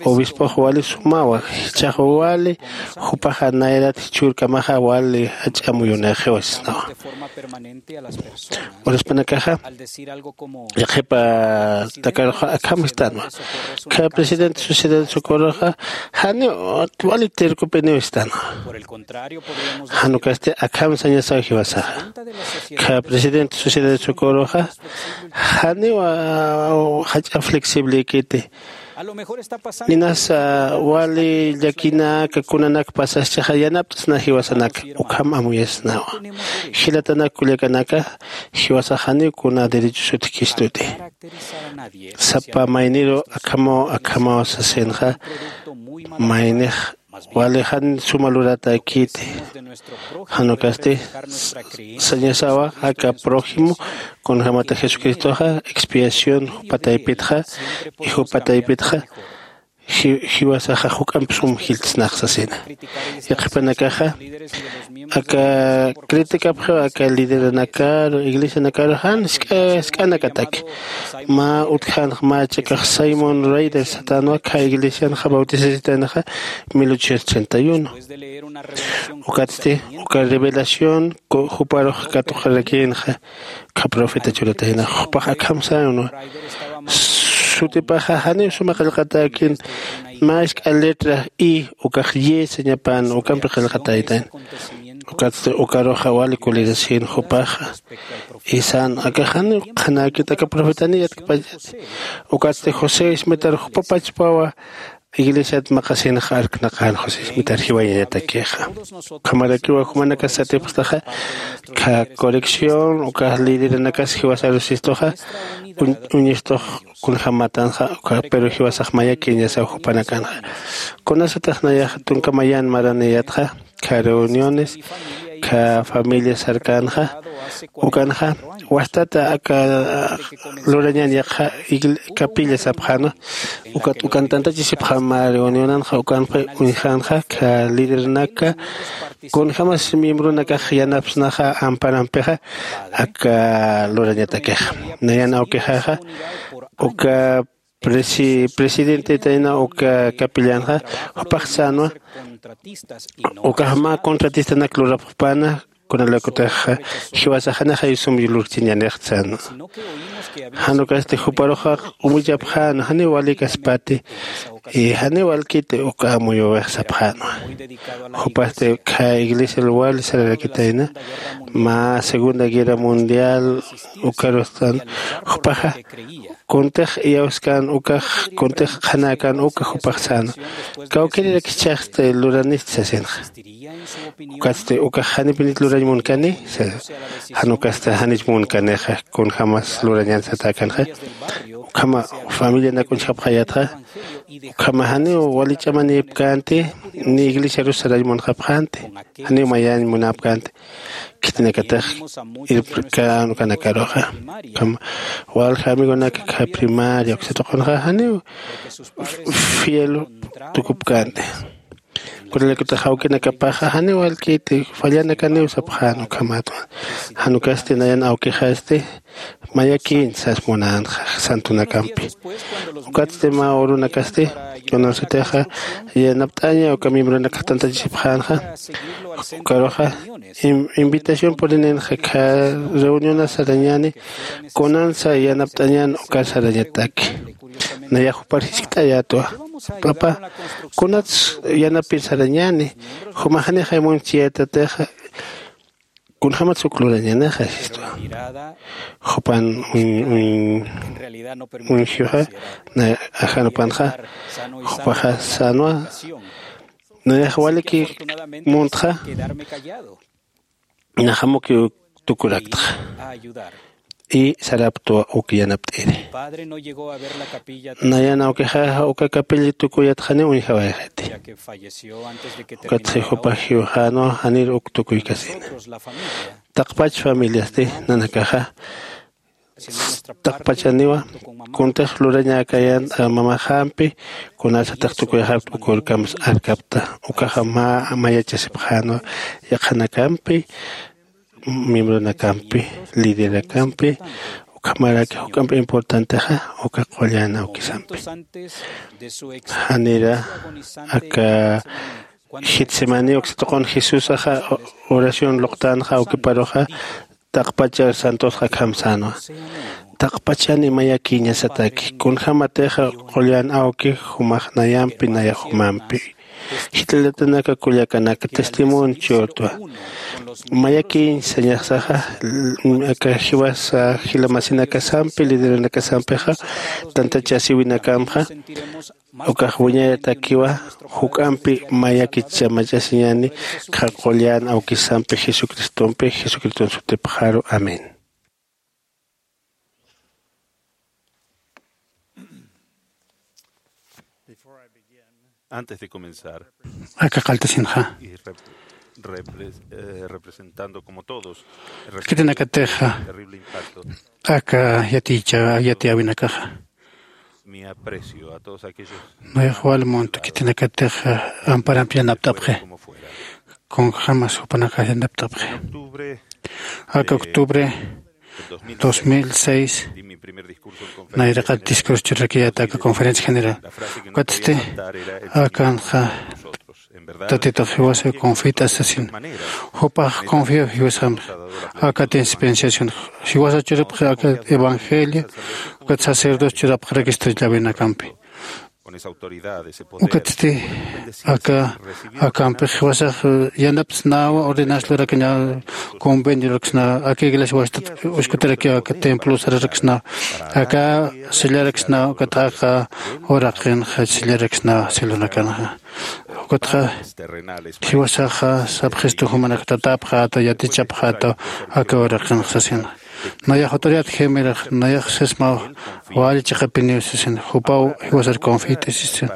obispox wali sumawa jichhax wali jupaxa nayrat jichhürkamaxa wali jach'a muyunïxiwa sisnawa. Uraspanakaxa yaqhipa takaruxa akham istänwa. Kha presidente sociedad socorroxa janiw wali tercopiniw istänwa. Jan ukasti akham sañasaw jiwasaxa kha presidente sociedad socorroxa janiw jach'a flexiblïkiti. Inasa wali llakinaka kunanak pasaschaxa yanapt'sna jiwasanaka ukham amuyasnawa. Jilatanak kullakanaka jiwasax janiw kuna derechos utjkistuti. Sapa mayniru akhamaw akhamaw sasinxa maynix wali jan suma luratäkiti. Jan ukasti sañasawa aka prójimo kunjämata jesucristoxa expiación jupa taypitxa y jupa taypitxa jiwasaxa juk'amp sum jilltsnax sasina. Yaqhipanakaxa aka criticapxiw aka lideranakaru iglesianakaru jan sk'anakataki. Mä utjänx mä chakax simón raider satänwa kha iglesianxa bautisasitaynaxa mil ochocientos treinta y uno. Ukatsti uka revelación juparux katuqarakïnxa kha profeta churatayna jupax akham sañanwa. Sutipaxa janiw suma qillqatäkin mä isk'a letra i ukax ye sañapan ukampi qillqataytan. Ukatsti ukaruxa wali kulirasin jupaxa isan aka janiw qhanäkit aka profetani yatkpachati. Ukatsti josé ismitar jupapachpawa iglesiat maqasinxa arknaqän josé ismitar jiwayañatakixa. Ukhamarakiwa jumanakas satipxtaxa kha corrección ukax lideranakas jiwasarusistuxa uñistux kunjämatanxa uka pero jiwasax mayakiñasaw jupanakanxa. Kunasatax nayax tunka mayan maraniyatxa kha reuniones kha familia sarkänxa ukanxa wastata aka lurañan yaqha igl- capilla sapxanwa. Ukat ukan tantachisipxama reunionanxa ukanpi uñjanxa kha lidernaka kunjämas miembronakax yanapsnaxa amparampixa aka lurañatakixa. Nayan awkixaxa uka presi- presidentetayna uka capillanxa jupax sänwa. Ukax mä contratistanak lurapxpana kunalaykutix jiwasax janixay sum lurchiñanix sänwa. Jan ukasti juparuxa umichapxänwa janiw walïkaspati y janiw walkiti uka amuyuwix sapxänwa. Jupasti kha iglesial wali sararakitayna mä segunda guerra mundial ukarustan jupaxa kuntix iyawskan ukax kuntix qhanäkan uka jupax sänwa. Kawkïrirak jichhaxsti luranist sasinxa. Ukatsti ukax janipinit lurañ munkani sasa. Jan ukasti janich munkanixa kunjämas lurañan satäkanxa. Ukhama familianak uñjapxayätxa ukhama janiw wali ch'amanïpkänti ni iglesiarus sarañ munxapxänti janiw mayañ munäpkänti. Khitinakatix irpkän ukanakaruxa ukhama walja amigonak kha primaria uksatuqunxa janiw fiel tukupkänti. Kunalaykutix awkinakapaxa janiw walkiti fallanakaniw sapxän ukhamatwa. Jan ukasti nayan awkixasti mayakïñ sas munänxa santunakampi. Ukatsti mä urunakasti kunasatixa yanapt'aña uka miembronakax tantachisipxänxa ukaruxa invitación purininxa kha reunionas sarañäni kunansa yanapt'añän uka sarañataki. Nayax jupar jiskt'ayätwa papa kunats yanapir sarañäni jumax janixay munchiyätatixa kunjämats uk lurañänixa sistwa. Jupan uñjixa na ajanupanxa jupaxa sänwa. Nayax waliki muntxa naxamuki uk tukuraktxa y saraptwa uk yanapt'iri. Nayan awkixaxa uka capilla tukuyatxani uñjawayxiti. Ukatxi jupax jiwxänwa janir uk tukuykasina. Taqpach familiasti nanakaxa taqpachaniwa kuntix lurañäkayän mamaxampi kunasatix tukuyxapta ukurkams arkapta ukaxa mä mayachasipxänwa yaqhanakampi miembronakampi liderakampi ukhamaraki juk'amp importantexa uka qullan awkisampi. Janira aka getsemaní uksatuqun jesusaxa oración luqtänxa awkiparuxa taqpachar santosxa akham sänwa. Taqpachani mayakïñasataki kunjämatixa qullan awki jumax nayampi nayax jumampi. Jit'alatanaka kullakanaka testimonio churtwa mayakïñ sañaxsaxa aka jiwasa jilamasinakasampi lideranakasampixa tantachasiwinakamxa ukax wiñayatakiwa juk'ampi mayakichamachasiñani. Qha qullan awkisampi jesucristompi jesucriston sutipxaru amén. Antes de comenzar, aka qalltasinxa y rep- repres- eh, representando como todos el khitinakatixa terrible impacto, aka yaticha yatiyäwinakaxa mi aprecio a todos aquellos nayax wal munt khitinakatixa amparampi yanapt'apxi como fuera. Kunjämas jupanakax yanapt'apxi. Octubre aka octubre dos mil seis nayraqat discurso churrakiyäta aka conferencia general. Ukatsti akanxa tatitux jiwasa confit'asasin jupax confiaw jiwasampi aka dispensación jiwasa churapxi aka evangelio ukat sacerdocio churapxarakistri llawinakampi. Ukatsti aka akampix jiwasax yanaptsnawa ordenas lurakaña convenio luraksnawa aka iglesia wastat uskutarakiw aka templo sararaksnawa aka sellaraksnawa ukat aka uraqinxa sellaraksnawa celonakanxa. Ukatxa jiwasaxa sapxistu jumanak tatapxäta yatichapxäta aka uraqinxa sasina. Nayax autoridad gemirax nayax sismaw wali chiqapiniw sisin jupaw jiwasar confit'isisin.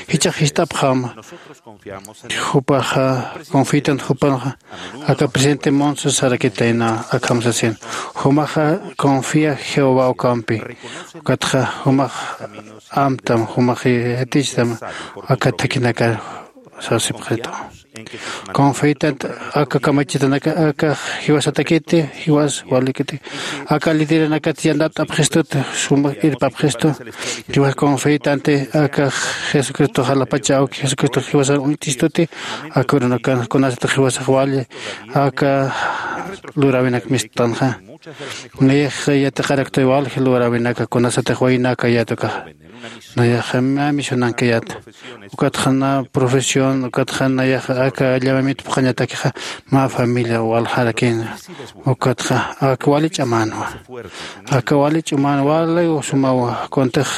Jichax jist'apxama jupaxa confitan jupanxa aka presidente monse sarakitayna akham sasin. Jumaxa confia jehová ukampi ukatxa jumax amtam jumax yatichtam aka thakinakar sasipxita. Confitant aka kamachitanaka aka jiwasatakiti jiwas walikiti aka lideranakat yanapt'apxistuti suma irpapxistu. Jiwas confitanti aka jesucristo jalapacha awki jesucristo jiwasar uñt'istuti aka urunakan kunasatix jiwasax wali aka luräwinak mistanxa. Nayax yatiqaraktuy walji luräwinaka kunasatix waynaka yatukaxa nayaxa mä misionankayata. Ukatxa na profesión ukatxa nayaxa aka llamamit phuqhañatakixa mä familia waljarakina. Ukatxa aka wali ch'amänwa aka wali ch'umän wali sumawa kuntix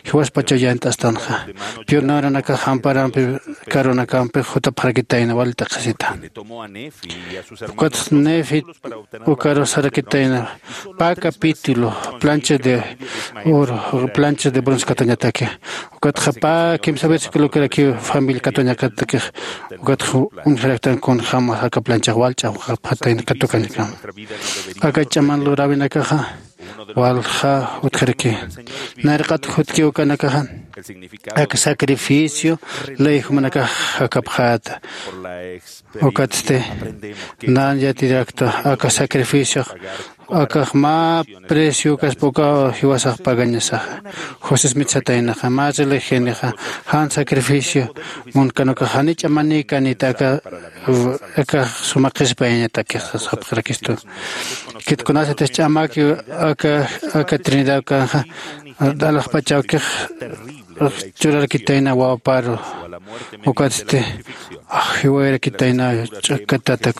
jiwaspachaw yant'astanxa. Pioneronakax amparampi karunakampi jutapxarakitayna wali t'aqhisita. Ukatxa nefi ukaru sarakitayna pä capítulo plancha de oro plancha de bronce katuñataki. Ukatxa pä kimsa versículo kirakiw familia katuñakatakix ukatxa uñjaraktan kunjämas aka planchax wal ch'awxapxatayna katukañakama. Aka ch'aman luräwinakaxa walja utjaraki nayraqat jutkiw ukanakaxa aka sacrificio ley jumanakax jakapxäta. Ukatsti nan yatirakta aka sacrificiox akax mä precio ukaspa ukaw jiwasax pagañasaxa. Josés mitsataynaxa mä religionixa jan sacrificio munkanukax janich'a manïkanita aka akax suma qhispiyañatakix sapxarakistu. Kit kunasatix ch'amaki aka aka trinidad kanxa alaxpachawkix churarakitayna wawaparu. Ukatsti jiwayarakitayna ch'akatata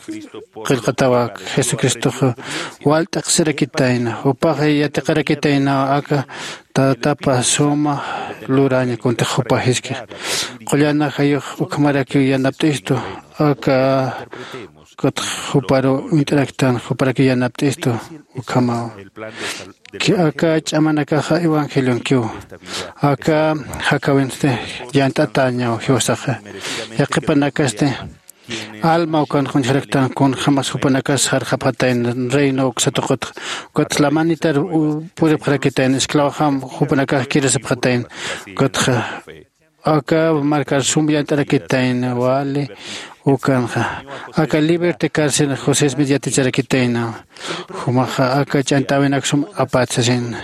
qillqatawa jesucristoxa wal t'aqsirakitayna jupax yatiqarakitaynaw aka tatapa suma luraña kuntix jupa jiskix. Qullan ajayux ukhamarakiw yanapt'istu aka ukatx juparu uñt'araktan juparakiw yanapt'istu. Ukhamaw aka ch'amanakaxa evangelionkiw aka jakawinsti yant'atäñaw jiwasaxa. Yaqhipanakasti alma ukan quñjaraktan kunjämas jupanakas sarxapxatayna reino uksa tuqutxa. Ukatxa lamanitar puripxarakitayna esclavojam jupanakax kirasipxatayna. Ukatxa aka markar sum yant'arakitayna wali ukanxa aka libertad carcel josesmi yaticharakitayna. Jumaxa aka ch'ant'äwinak sum apät sasin.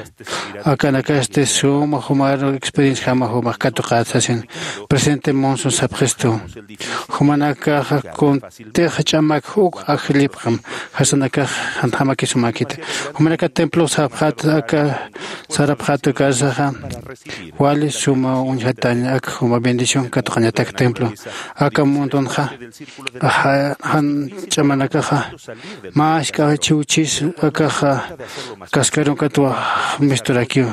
Akanakasti suma jumar experienciajama jumax katuqät sasin. Presidente monson sapxistu jumanakaxa kuntix ch'amak uk ajllipxam jasanakax janjamakisumäkita. Jumanaka templo sapxät aka sarapxät ukarsaxa wali suma uñjatäña aka juma bendición katuqañatak templo. Aka mundunxa jan ch'amanakaxa mä jisk'a chiwchis akaxa kaskarunkat waj misturakiw.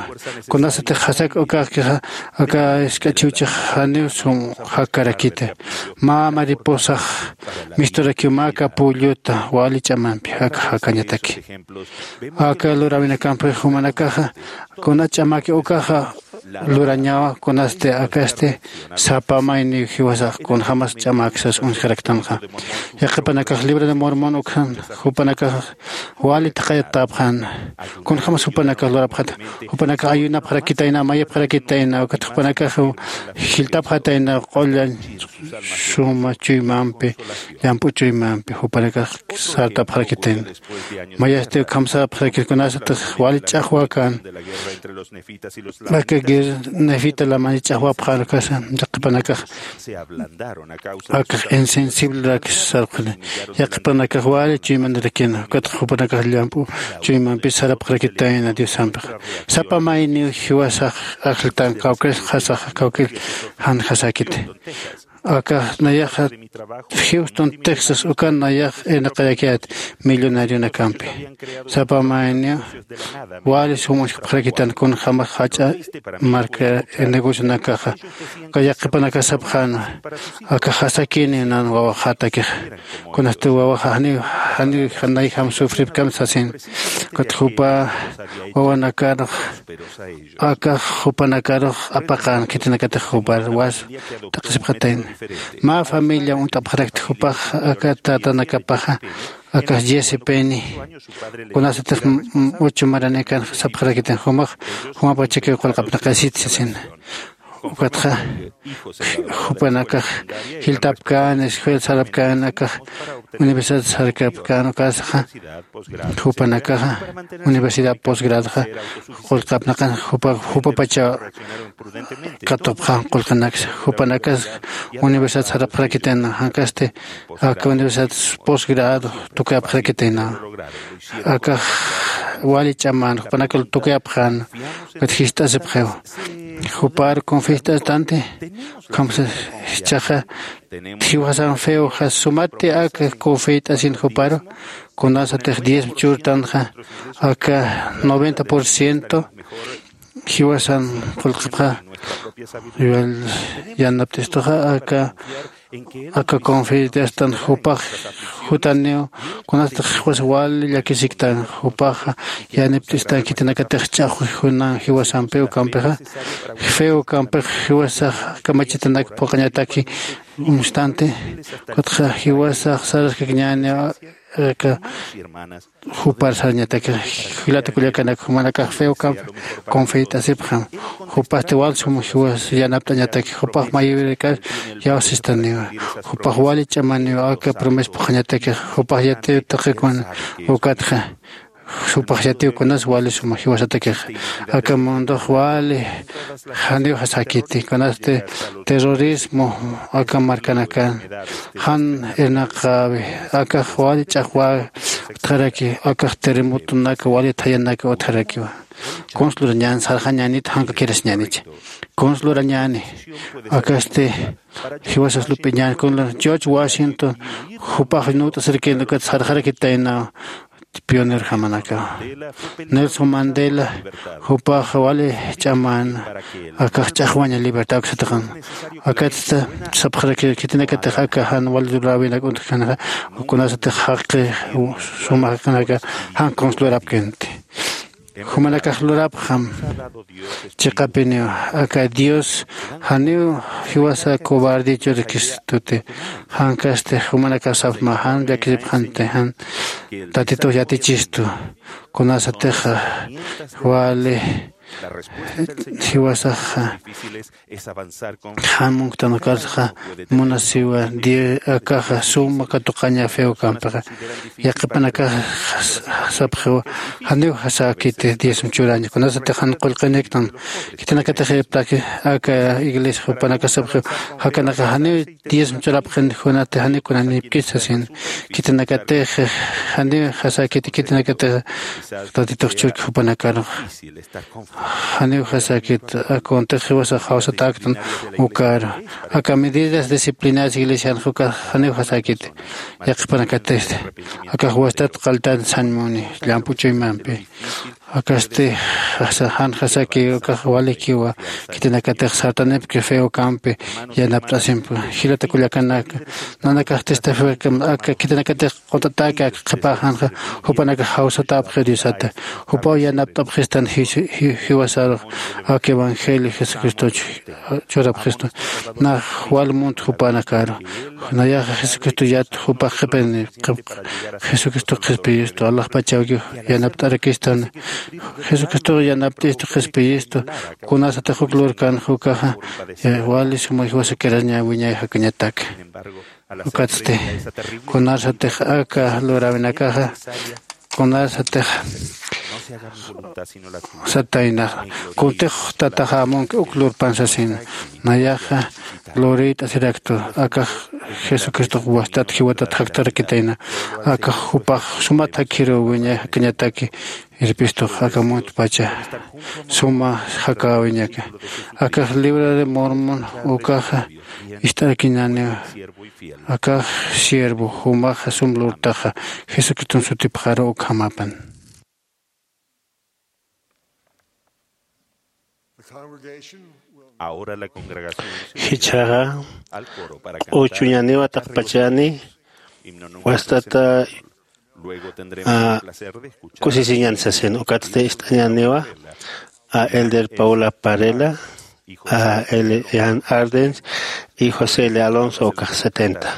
Kunasatix jasak ukaxkixa aka jisk'a chiwchix janiw sum jakarakita. Mä mariposax misturakiw mä capulluta wali ch'amampi aka jakañataki. Aka luräwinakampi jumanakaxa kuna ch'amaki ukaxa lurañawa kunasti akasti sapa mayniw jiwasax kunjämas ch'amak sas uñjaraktanxa. Yaqhipanakax libro de mormon uksan jupanakax wali thaqayatäpxän. Kunjämas jupanakax lurapxata jupanakax ayunapxarakitayna mayapxarakitayna ukat jupanakax jilltapxatayna qullañ suma chuymampi llamp'u chuymampi jupanakax sartapxarakitayna. Mayasti ukham sapxarakit kunasatix wali ch'axwäkän aka guerra nefita lamani ch'axwapxän ukasa yaqhipanakax akax insensiblerak sarpxani. Yaqhipanakax wali chuymanirakina ukatxa jupanakax llamp'u chuymampi sarapxarakitayna diosampixa. Sapa mayniw jiwasax ajlltan kawkir jasaxa kawkir janjasäkiti. Akax nayaxa houston texas ukan nayax irnaqarakiyät millonarionakampi. Sapa mayniw wali sum uñjkpxarakitan kunjämas jach'a marka negocionakaxa. Uka yaqhipanakax sapxäna aka jasakïniw nan wawaxätakixa. Kunasti wawaxa janiw janiw janayjam sufripkam sasin. Ukat jupa wawanakarux akax jupanakarux apaqan khitinakatix jupar was t'aqhisipxatayna. Mä familia uñt'apxarakti jupax aka tatanakapaxa akax Jesse Penny kunasatix ocho maranikan sapxarakitan jumax jumapachakiw qullqapnaqasit sasina. Ukatxa jupanakax jiltapkän escuela sarapkän akax universidad sarkapkän ukasaxa jupanakaxa universidad posgradxa qullqapnaqan jupa jupapacha katupxan qullqinaksa jupanakas universidad sarapxarakitayna jankasti aka universidad posgrado tukuyapxarakitayna. Akax wali ch'aman jupanakal tukuyapxan ukat jist'asipxiw jupar confistastanti. Ukham jichhaxa jiwasan feo jasumati aka confistasin juparu kunasatix diezmo churtanxa aka noventa por ciento jiwasan qullqipxa. Yanapt'istuxa aka aka confidiastan jupax jutaniw kunasatix jiwas wali llakisiktan jupaxa yanipt'istan khitinakatix ch'axwi junan jiwasampiw kampixa feo kampix jiwasax kamachitanak phuqañataki uñstanti. Ukatxa jiwasax saraskakiñäni aka jupar sarañataki jilata kullakanak jumanakax feo kampi confiat'asipxam. Jupasti wal sum jiwas yanapt'añataki jupax mayurikas yawsistaniwa jupax wali ch'amaniwa aka promesa phuqhañatakix jupax yatiw taqikun ukatxa jupax yatiw kunas wali suma jiwasatakixa aka mundox wali janiw jasakiti kunasti terrorismo aka markanakan jan irnaqäwi akax wali ch'axwä utjaraki akax terremotonaka wali thayanaka utjarakiwa. Kuns lurañän sarxañänit jankakirasiñänich kuns lurañäni akasti jiwasas lup'iñän kunla george washington jupax nuwt'asirkin ukat sarxarakitaynaw pioner jamanakaw nelson mandela jupax wali ch'aman akax ch'axwaña libertad uksatixan akatsta sapxarakir khitinakatix aka jan wali luräwinak untjkanaxa kunasatix jaqi suma jaqinaka jan kuns lurapkinti. Jumanakax lurapxam chiqapiniw aka dios janiw jiwasa cobarde churkistuti jankasti jumanakax sapxma jan llakisipxanti jan tatitux yatichistu kunasatixa wali jiwasaxa jan munktan ukarsaxa munasiwa akaxa suma katuqaña feo kampixa yaqhipanakax sapxiwa janiw jasakiti diezmo churaña kunasatix jan qullqiniktan khitinakatix irptaki aka iglesia jupanakax sapxiwa jakanakax janiw diezmo churapxin junati janiw kunanipkis sasin khitinakatix janiw jasakiti khitinakatix tatitux churki jupanakarux janiw jasakit akuntix jiwasax jawsatäktan ukaru aka medidas disciplinadas iglesianxa ukax janiw jasakit yaqhipanakatista akax wastat qaltan sañmuni llamp'u chuymampi akasti jan jasaki ukax walikiwa khitinakatix sartanipki feo kampi yanapt'asimpi jilata kullakanaka nanakaxtista feo aka khitinakatix q'utataki aka qhipaxanxa jupanakax jawsatäpxi diosata jupaw yanapt'apxistan jiwasarux aka evangelio jesucristoch churapxistu nax wal munt jupanakaru nayaxa jesucristo yat jupax qhipini jesucristo qhispiyistu alaxpachawki yanapt'arakistan jesucristox yanapt'istu qhispiyistu kunasatix uk lurkan jukaxa wali suma jiwasakiraña wiñay jakañataki ukatsti kunarsatix aka luräwinakaxa kunarsatix sataynaxa kuntix tataxa amunki uk lurpan sasina nayaxa lurït'asiraktu akax jesucristox wastat jiwatat jaktarakitayna akax jupax sumat jakjiruw wiñay jakañataki irpistux aka muntpacha suma jakäwiñaka akax libra de mormon ukaxa ist'arakiñäniwa akax siervo jumaxa sum lurtaxa jesucriston sutipxaru ukhamapan. Jichhaxa q'uchuñaniwa taqpachani wastata a, kusisiñan sasin. Ukatsti ist'añäniwa a Elder Paula Parela, a Elian Ardens y José L. Alonso ukax setenta.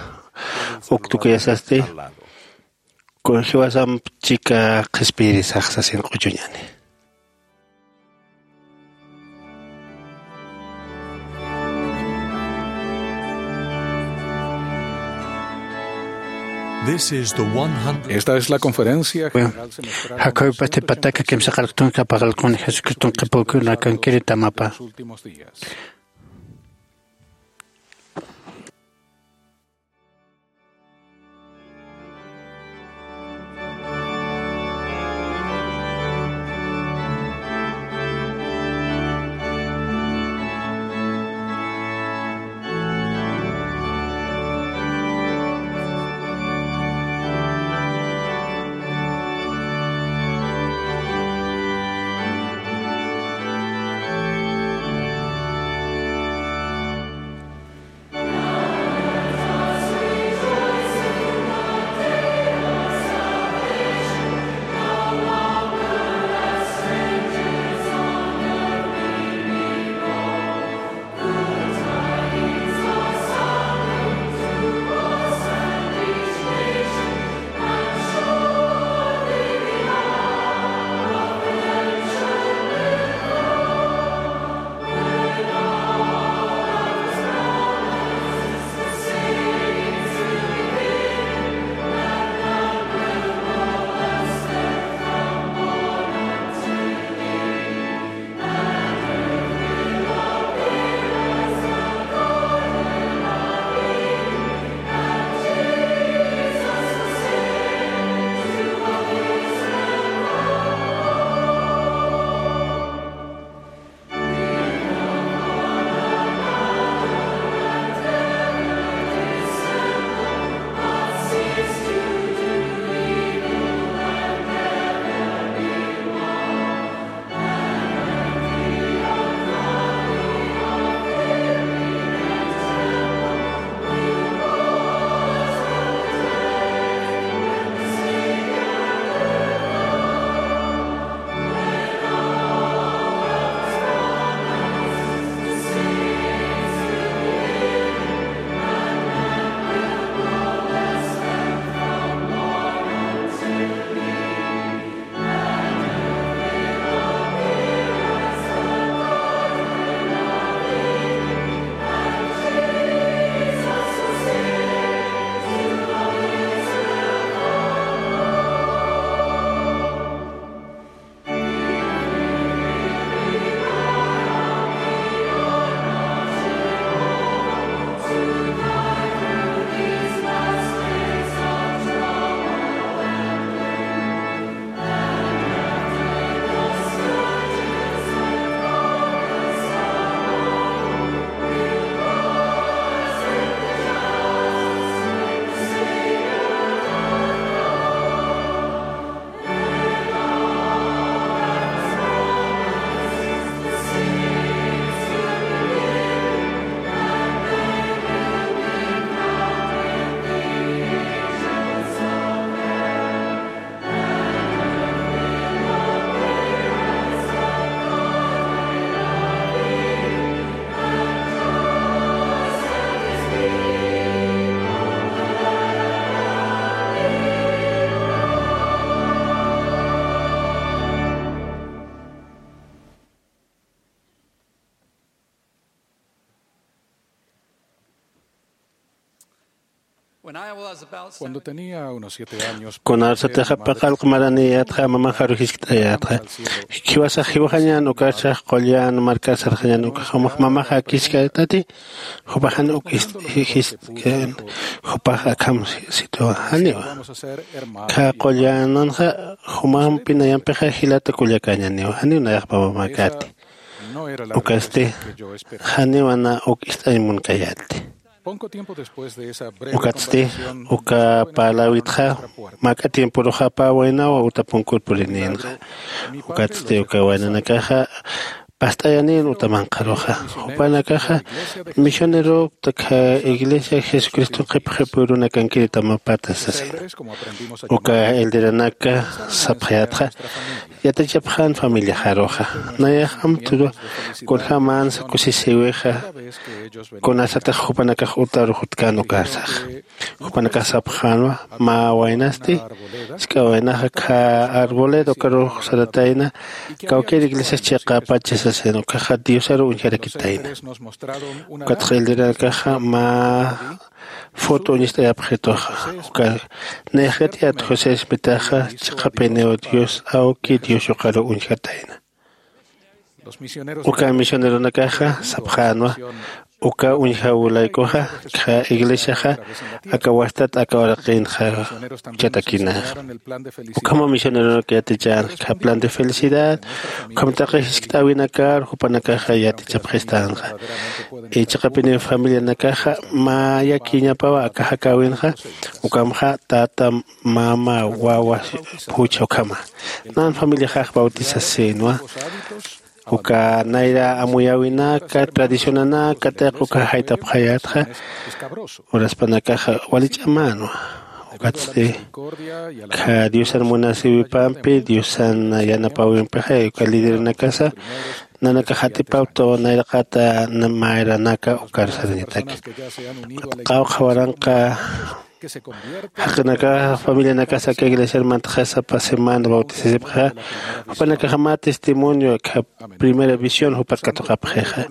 Uk tukuyasasti kun jiwasamp chika qhispiyirisax sasin q'uchuñäni. Esta es la conferencia general semestral. Jacob Patipataka kimsa qarqtun kapaqalqun Jesucriston qhipukuna kankiri tamapa. Cuando tenía unos siete años, kun arsatixa paqallq maraniyätxa, mamax aru jiskt'ayätxa. Jiwasax jiwaxañän ukarsax qullan markar sarxañän ukax, jumax mamax akiskätati, jupaxan uk ist-, ji-, jiskt'kän, jupax akham sitwa, janiwa. Kha qullananxa, jumampinayampixa jilata kullakäñäniwa, janiw nayax mamamäkäti. Ukasti, janiw na uk ist'añ munkayäti. Ukatsti, uka parläwitxa, mä tiemporuxa pä waynawa uta punkur purinïnxa. Ukatsti, uka waynanakaxa, past'ayanin utamanqaruxa. Jupanakaxa misioneropta kha iglesia jesucriston qhipxipuyrunakankiritamapatas sasina. Uka elderanaka sapxayatxa yatichapxan familiaxaruxa. Nayax amturu kunjämansa kusisiwixa kunasatix jupanakax utarux utkan ukarsax. Jupanakax sapxänwa mä waynasti, sk'a waynaxa kha arboleda ukarux saratayna kawkir iglesias chiqapacha sasina ukaxa diosaru uñjarakitayna. Ukatxa elderanakaxa mä foto uñist'ayapxituxa. Uka nayax yatiyät josé smitaxa chiqapiniw dios awki dios yuqaru uñjatayna. Uka misioneronakaxa sapxänwa uka uñjawlaykuxa kha iglesiaxa aka wastat aka uraqinxa. Chatakinaxa ukhama misioneronak yatichänxa kha plan de felicidad ukham taqi jiskt'äwinakar jupanakaxa yatichapxistänxa. Ichaqapiniw familianakaxa mä yakiñapawa aka jakäwinxa ukamxa tata mama wawa phuchha ukhama nan familiaxax bautisasïnwa. Uka nayra amuyäwinaka tradicionanaka tayqa uka jaytapxayätxa. Uraspanakaxa wali ch'amänwa. Ukatsti kha diosan munasiwipampi diosan yanapäwimpixa uka lideranakasa nanakax atipawtaw nayraqata mayranaka ukar sarañataki. Qawqha waranqa jaqinaka familianakasa aka iglesiar mantaxasa sapa semana bautisasipxixa. Jupanakaxa mä testimonio kha primera visión jupat katuqapxixa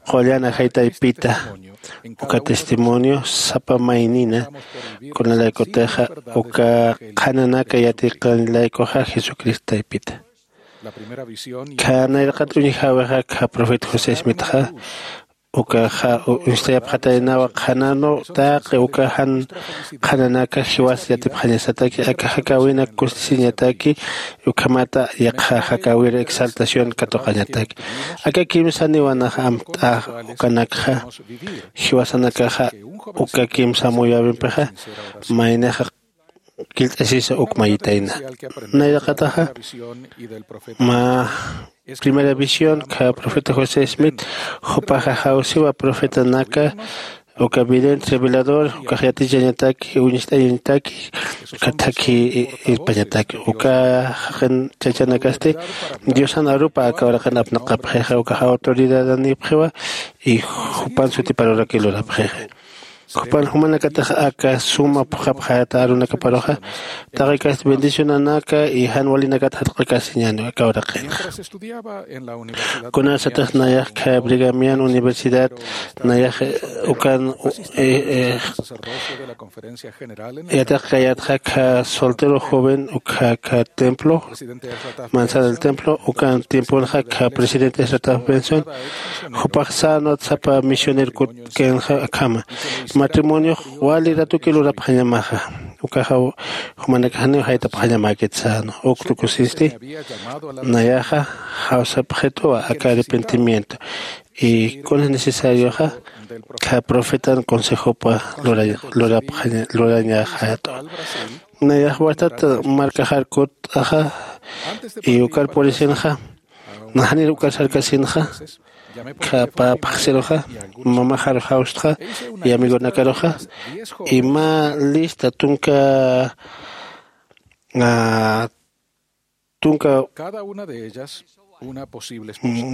qullan ajaytaypita uka testimonio sapa maynina kunalaykutixa uka qhananaka yatiqanlaykuxa jesucristo taypita. Kha nayraqat uñjawixa kha profeta josé smitxa ukaxa uñstayapxataynawa qhananu taqi uka jan qhananaka jiwas yatipxañasataki aka jakäwinak kustisiñataki ukhamata yaqha jakäwir exaltación katuqañataki. Aka kimsaniwanaxa amt'ax ukanakxa jiwasanakaxa uka kimsa amuyäwimpixa maynixa killt'asisa uk mayitayna. Nayraqataxa mä primera visión kha profeta josé smith jupaxa jawsiwa profetanaka uka vidente revelador ukax yatichañataki uñst'ayañataki uka thakhi irpañataki uka jaqin chachanakasti diosan arupa aka uraqin apnaqapxixa ukax autoridadanipxiwa. Y jupan sutiparurakï lurapxixa jupan jumanakatix aka suma phuqhapxayata arunakaparuxa taqikasti bendicionanaka y jan walinakat jatq'akasiñäni aka uraqinxa. Kunasatix nayax kha brigamian universidad nayax ukan yatiqkayatxa kha soltero joven ukha kha templo manzana del templo ukan tiemponxa kha presidente esrataf benson jupax sänwat sapa misioner kutkinxa akhama matrimoniox wali ratuki lurapxañamaxa. Ukaxa jumanakax janiw jaytapxañamäkit sänwa uk tukusisti nayaxa jawsapxituwa aka arrepentimiento y kunas necesarioxa kha profetan consejopa lurañaxayatwa. Nayax wastat markaxar kutt'axa y ukar purisinxa naxanir ukar sarkasinxa kha pä phaxsiruxa mamaxar jawstxa y amigonakaruxa y mä lista tunka tunka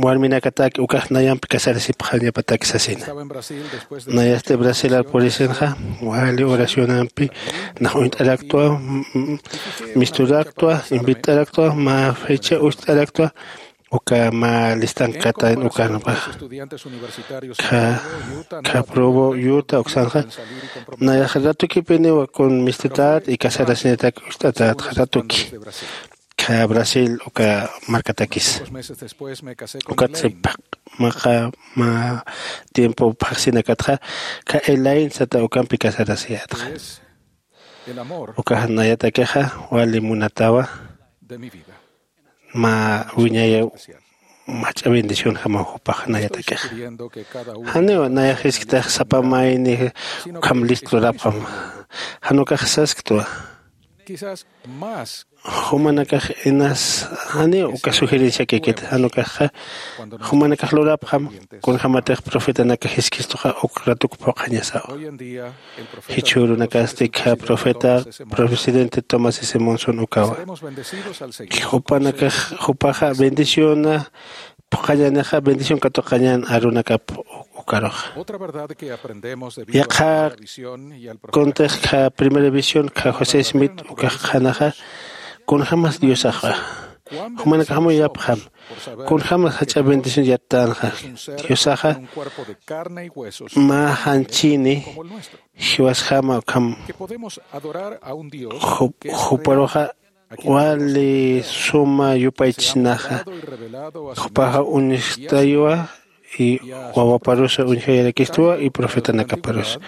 warminakataki ukax nayampi casarasipxañapataki sasina. Nayasti brazilar purisinxa wali oracionampi nax uñt'araktwa misturaktwa invit'araktwa mä fecha ucht'araktwa uka mä listankatayn ukanpaxa. Kha probo yuta uksanxa nayax ratukipiniwa kun mistutat y casarasiñatak ucht'atatxa ratuki kha brasil uka markatakis. Ukat sipaq maqa mä tiempo phaxsinakatxa kha elain sata ukampi casarasiyatxa. Ukax nayatakixa wali munatawa mä wiñayaw mach'a bendicionjamaw jupax nayatakixa. Janiw nayax jisktix sapa mayni ukham list lurapxam. Jan ukax sasktwa Jumanakax inas janiw uka sugerenciakikit, jan ukaxxa jumanakax lurapxam kunjämatix profetanakax jiskistuxa uk ratuk phuqhañasawa. Jichhürunakasti kha profeta presidente Thomas S Monson ukawa. Jupanakax jupaxa bendiciona phuqhañänixa bendición katuqañän arunakap ukaruxa. Yaqha kuntix kha primera visión kha José Smith ukax qhanaxa kunjämas Diosaxa jumanakax amuyapxam kunjämas jach'a bendición yattänxa. Diosaxa mä janchini jiwasjama ukham juparuxa wali suma yupaychisnaxa jupaxa uñjtaywa y wawaparusa uñjayarakistuwa y profetanakaparusa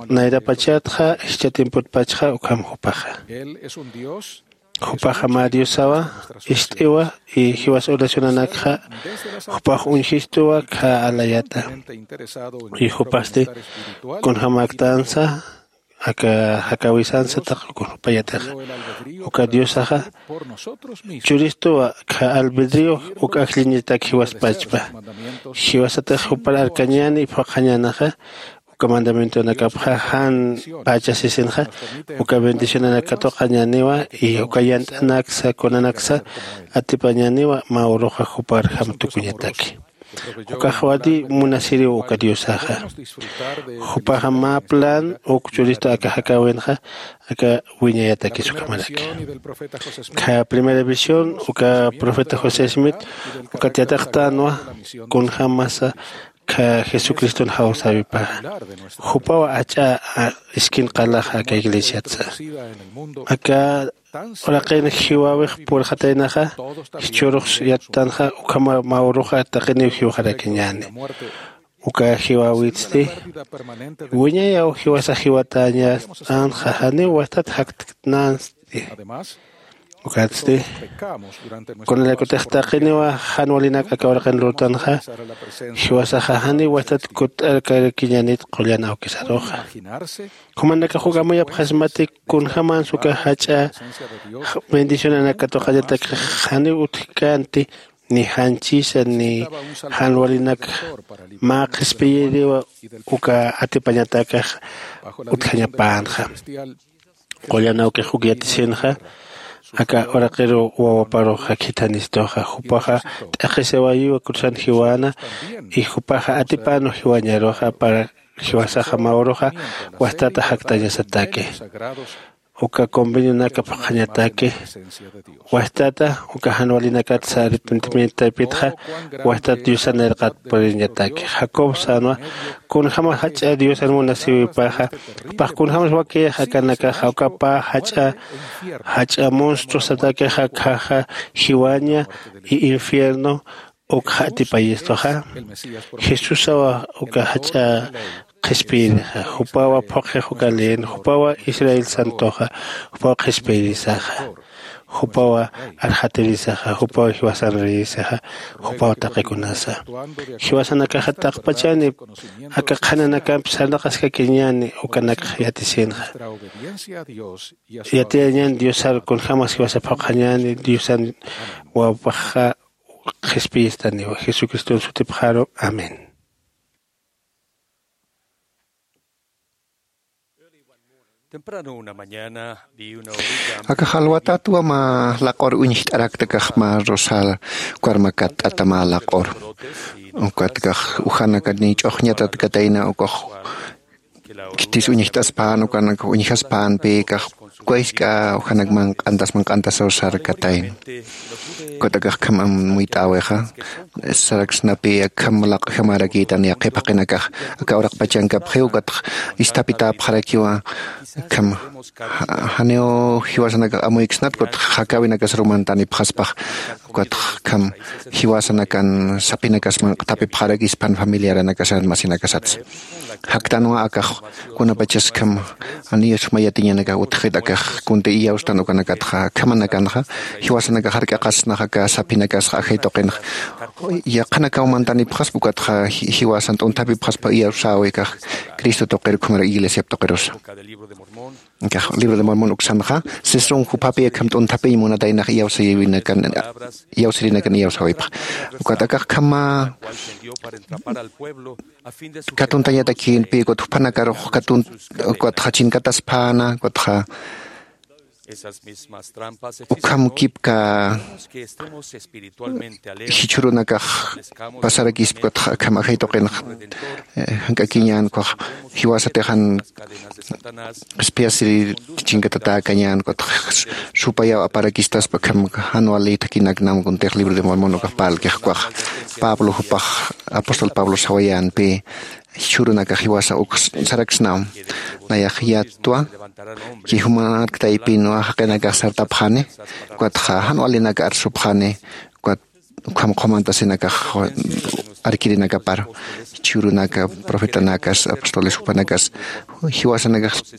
nayrapachatxa jichha tiempotpachxa ukham jupaxa. Jupaxa mä diosawa ist'iwa y jiwas oracionanakxa jupax uñjistuwa kha alayata. Y jupasti kunjämäktansa aka jakäwisansa taq uka jupayatixa uka diosaxa churistuwa kha albedrío uk ajlliñatak jiwaspachpa. Jiwasatix jupar arkañäni phuqhañänaxa uka mandamientonakapxa jan pachasisinxa uka bendicionanak katuqañäniwa y uka yant'anaksa kunanaksa atipañäniwa mä uruxa juparjam tukuñataki. Ukax wali munasiriw uka diosaxa jupaxa mä plan uk churistu aka jakäwinxa aka wiñayatakis ukhamaraki. Kha primera visión uka profeta josé smith ukat yatiqtänwa kunjämasa kha jesucriston jawsäwipaxa jupaw ach'a iskin qalaxa aka iglesiatsa aka uraqin jiwäwix purxataynaxa jichhürux yattanxa ukhama mä uruxa taqiniw jiwxarakiñäni. Uka jiwäwitsti wiñayaw jiwasax jiwatäñänxa janiw wastat jaktnänsti. Ukatsti kunalaykutix taqiniwa jan walinak aka uraqin lurtanxa jiwasaxa janiw wastat kutt'arkarakiñänit qullan awkisaruxa. Jumanakax uk amuyapxasmati kunjämans uka jach'a bendicionanak katuqañatakix janiw utjkänti ni janchisa ni jan walinak mä qhispiyiriwa uka atipañatakax utjañapänxa. Qullan awkix uk yatisinxa aka uraqiru wawaparuxa khithanistuxa jupaxa t'aqhisiwayiwa cruzan jiwäna y jupaxa atipänwa jiwañaruxa para jiwasaxa mä uruxa wastata jaktañasataki. Uka convenionakap qhañataki wastata uka jan walinakatsa arrepentimientotaypitxa wastat diosan irqat puriñataki. Jacob sänwa kunjämas jach'a diosan munasïwipaxa jupax kunjämas wakiyax akanakaxa uka pä jach'a jach'a monstruosatakixa khaxa jiwaña y infierno ukxa atipayistuxa. Jesusawa uka jach'a qhispiyirixa jupawa phuqhix uka leen jupawa israel santoxa jupaw qhispiyirisaxa jupaw arxatirisaxa jupaw jiwasan reyesixa jupaw taqikunasa. Jiwasanakaxa taqpachani aka qhananakampi sarnaqaskakiñäni ukanakxa yatisinxa. Yatiyañäni diosar kunjämas jiwasa phuqhañäni diosan wawapaxxa qhispiyistaniwa jesucriston sutipxaru. Amén. Akax alwatatwa mä laq'ur uñjt'arakta kax mä rosal karmakat t'ata mä laq'ur. Ukatkax ujanakani ch'uxñatatkatayna ukax khitis uñjt'aspän ukanakax uñjaspänpï kax uka jisk'a ujanak manq'antas manq'antasaw sarkatayna. Ukatakax kham amuyt'äwixa saraksnapï akham laq'jamarakïtan yaqhip jaqinakax aka uraqpachankapxiw ukatx isthapitäpxarakiwa. Akham janiw jiwasanakax amuyksnat ukatx jakäwinakas rumantanipxaspax ukatx akham jiwasanakan sapinakas manq'thapipxarakispan familiaranakasat masinakasatsa. Jaktanwa akax kunapachaskham aniyus mayatiñanakax utjxit akax kunti iyawstan ukanakatxa akhamanakanxa jiwasanakax jark'aqasnax aka sapinakasxa ajay tuqinxa yaqhanakaw mantanipxaspa ukatxa jiwasan t'unthapipxaspa iyawsäwi akax cristo tuqir ukhamarak iglesiap tuqirusa. Akax libro de Mormon uksanxa sisrun juphapi akham t'unthapiñ munataynax iyawsirinakan iyawsawipxa. Ukat akax khama katuntañatakinpi ukat juphanakarux katun ukat jachinkataspäna ukat ja ukham kipka jichhurunakax pasarakispi ukat akham ajay tuqinxa jank'akiñän ukax jiwasatix jan qhispiyasiri chinkatatäkañän ukat supayaw aparakistaspa akham jan wali thakinaknam kuntix libro de Mormon ukax parlkix ukax pablo jupax apóstol pablo sawayänpi jichhürunakax jiwasa uk saraksnam nayax yatwa. Chijumanaktaypinwa jaqinakax sartapxani ukatxa jan walinak arsupxani ukat ukham qhumantasinakax arkirinakapar jichhürunaka profetanakas apostoles jupanakas jiwasanakax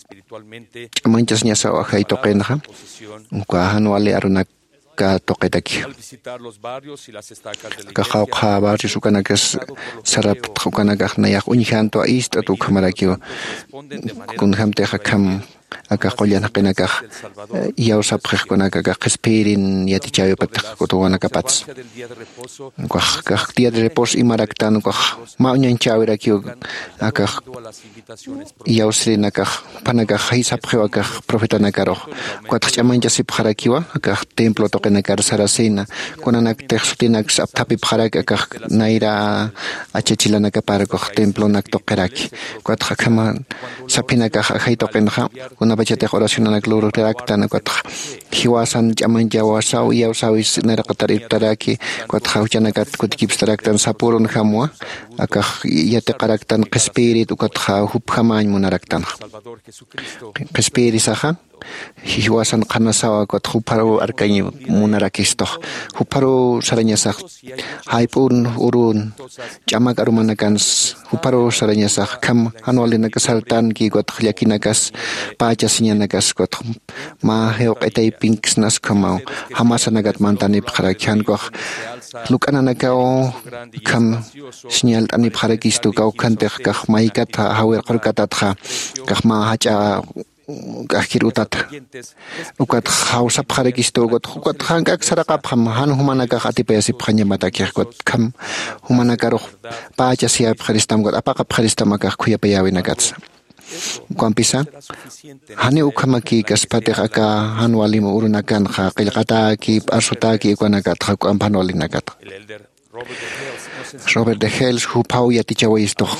ch'amanchasiñasaw ajay tuqinxa uka jan wali arunak ka tuqitaki aka qawqha barrios ukanakas saraptx ukanakax nayax uñjantwa ist'at ukhamarakiw kunjämtix akham aka qullan jaqinakax iyawsapxix kunak aka qhispiyirin yatichäwipatix kutuwanakapatsa ukax kax día de reposo imaraktan ukax mä uñañchäwirakiw akax iyawsirinakax juphanakax jisapxiw akax profetanakarux ukatx ch'amañchasipxarakiwa akax templo tuqinakar sarasina kunanaktix sutinaks apthapipxaraki akax nayra achachilanakapar ukax templonak tuqiraki ukatx akhama saphinakax ajay tuqinxa kunapachatix oracionanak luraraktan ukatx jiwasan ch'amañchawasaw iyawsawis nayraqatar irptaraki ukatxa juchanakat kutikipstaraktan sapürunjamwa akax yatiqaraktan qhispiyirit ukatxa jupjamäñ munaraktanxa qhispiyirisaxa jiwasan qhanasawa ukatxa jupharuw arkañ munarakistuxa jupharuw sarañasax jayp'un urun ch'amak arumanakans jupharuw sarañasax akham jan walinak sartanki ukatxa llakinakas pächasiñanakas ukatxa mä jiwq'itaypinksnas ukhamaw jamasanakat mantanipxaraki jan ukax luk'ananakaw akham siñalt'anipxarakistu kawkhantix kax maykat jawir qurkatatxa kax mä jach'a k'ajkir utata ukatx jawsapxarakistu ukatx ukatx jank'ak saraqapxam jan jumanakax atipayasipxañamatakix ukatkham jumanakarux pächasiyapxiristam ukat apaqapxiristam akax khuyapayäwinakatsa ukampisa janiw ukhamakïkaspatix aka jan walim urunakanxa qillqatäki p'arsutäki ukanakatxa uk'amp jan walinakatxa robert de hels juphaw yatichawayistux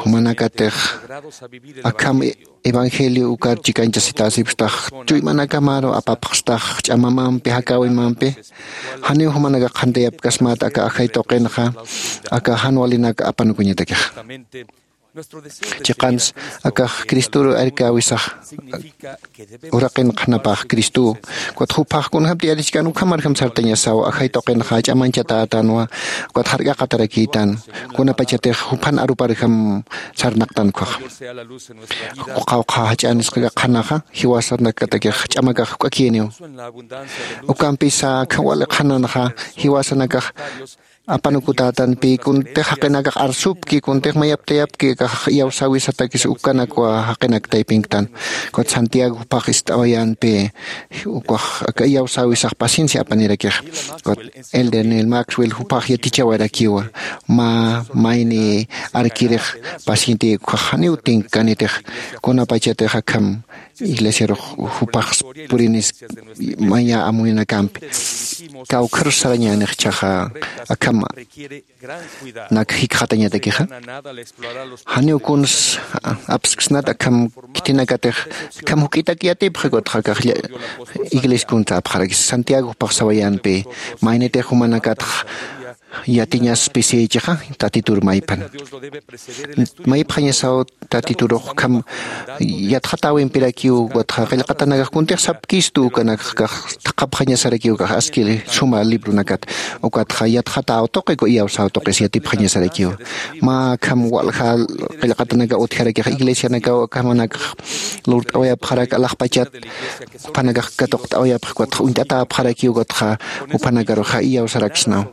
jumanakatix akham evangelio ukar chikañchasitäsipstax chuymanakamaru apapxstax ch'amamampi jakäwimampi janiw jumanakax qhantayapkasmät aka ajay tuqinxa aka jan walinak apanukuñatakixa chiqans akax cristoru arkäwisax uraqin qhanapax cristow ukat juphax kunjämti yatichkän ukhamarjam sartañasaw ajay tuqinxa ch'amañchatätanwa ukat jark'aqatarakïtan kunapachatix juphan aruparjam sarnaqtan ukhaxa qawqha jach'anisqa qhanaxa jiwasanakatakix ch'amakax juk'akïniw ukampisa akham wali qhananxa jiwasanakax apanukutätanpi kuntix jaqinakax arsupki kuntix mayaptayapki akax iyawsäwisatakis ukanakwa jaqinak taypinktan ukat santiago juphax ist'awayänpi ukax aka iyawsäwisax paciencia apanirakix ukat elder nel maxwell juphax yatichawarakiwa mä mayni arkirix paciente ukax janiw tinkkanitix kunapachatix akham iglesiarux jupax purinis maya amuynakampi kawkharus sarañänix ichhaxa akham nak jikxatañatakixa janiw kuns apsksnat akham khitinakatix akham juk'itak yatipxi ukatxa akax iglesia kuns apxarakis santiago jupax sawayänpi maynitix jumanakatx yatiñaspisïchixa tatitur mayphan maypxañasaw tatiturux ukham yatxatäwimpirakiw ukatxa qillqatanakax kuntix sapkistu ukanakax thaqhapxañasarakiw ukax aski suma libronakat ukatxa yatxatäw tuqi iyawsäw tuqis yatipxañasarakiw mä akham walja qillqatanakaw utjarakix iglesianakaw akhamanakax lurt'awayapxarak alaxpachat juphanakax katuqt'awayapxi ukatxa uñt'atäpxarakiw ukatxa juphanakarux iyawsaraksnaw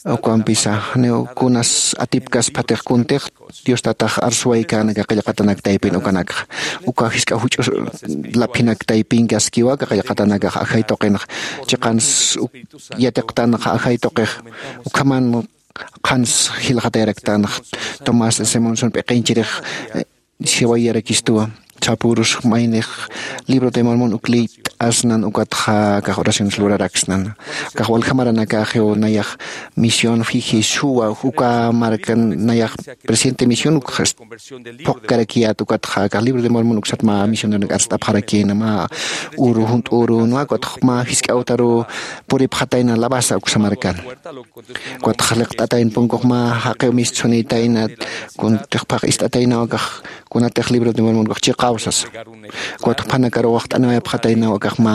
Ukampisa janiw kunas atipkaspatix kuntix dios tatax arsuwaykänaka qillqatanak taypin ukanakxa uka jisk'a juch'us laphinak taypinkaskiwa aka qillqatanakax ajay tuqinx chiqans yatiqtanxa ajay tuqix ukhaman qhans jilxatayraktanx. Tomás simonson p'iqinchirix siwayarakistuwa sapürus maynix libro de mormon uk liyt'asnan ukatxa akax oraciones luraraksnan akax waljamaranakaxiw nayax misión fijisuwa uka markan nayax presidente misión ukxa phuqkarakiyät ukatxa akax libro de mormon uksat mä misioneronak arst'apxarakïna mä uru junt'ürünwa ukatxa mä jisk'awtaruw puripxatayna labasa uksa markan ukatxa liqt'atayna punkux mä jaqiw mist sunïtayna kuntix phax ist'ataynaw akax kunatix libro de mormon ukax chiqaw sasa ukatxa phanakaruw waxt'aniwayapxataynaw akax mä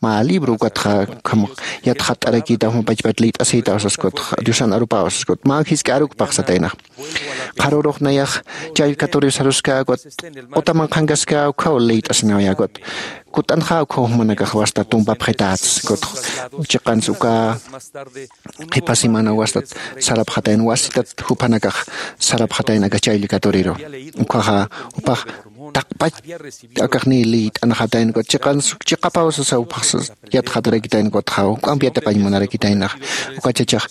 mä libro ukatxa ukham yatxatt'arakïtaw mä pachpat liyt'asïtaw sas ukatxa diosan arupaw sas ukat mä jisk'a arukpax sataynax qharürux nayax challkaturiw saruska ukat q'utaman qhankaska ukhaw liyt'asinawayä ukat kut'anxa ukhaw jumanakax wasta tumpapxitäts ukat chiqans uka qhipa semana wastat sarapxatayn wasitat juphanakax sarapxatayn aka chayll katuriru ukhaxa jupax taqpach akaxniy liyt'anxatayn ukat chiqans chiqapaw sasa jupax yatxatarakitayn ukatxa juk'amp yatiqañ munarakitaynax uka chachax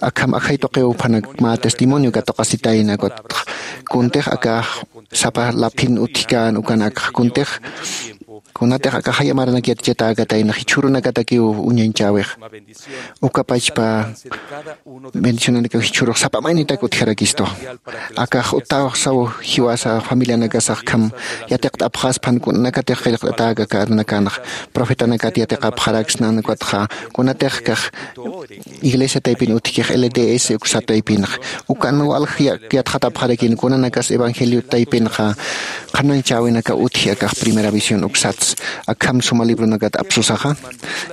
akham ajay tuqiw juphanak mä testimonio katuqasitayna ukatxa kuntix akax sapa laphin utjkän ukanakxa kuntix kunatix akax jaya maranak yatichatäkataynax jichhürunakatakiw uñañchäwix uka pachpa bendicionanakaw jichhürux sapa maynitak utjarakistu akax utawxsaw jiwasa familianakasax kham yatiqt'apxaspan kunanakatix qillqt'atäka karnakanxa profetanakat yatiqapxaraksnan ukatxa kunatix kax iglesia taypin utjkix lds uksa taypinxa ukan walj yatxatapxarakin kunanakas evangelio taypinxa qhanañchäwinakaw utji akax primera visión uksats akham suma libronakat apsusaxa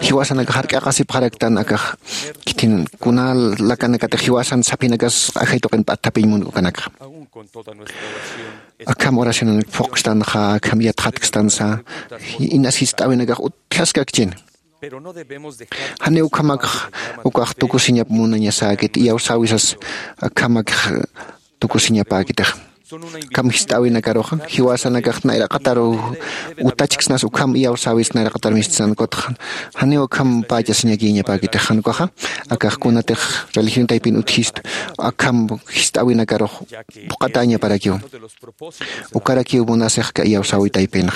jiwasanakax jark'aqasipxaraktan akax khitin kuna lakanakatix jiwasan saphinakas ajay tuqin p'atthapiñ munk'ukanakxa akham oracionanak phuqstanxa akham yatxatkstansa inas jist'äwinakax utjaskakchina janiw ukhamakx ukax tukusiñap munañasäkit iyawsäwisas akhamakx tukusiñapäkitix ukham jist'äwinakaruxa jiwasanakax nayraqataru utachksnas ukham iyawsäwis nayraqatar mistsnan ukatxa janiw ukham pächasiñakïñapäkitix jan ukaxa akax kunatix religión taypin utjist akham jist'äwinakarux phuqatäñaparakiw ukarakiw munasixka iyawsäwi taypinxa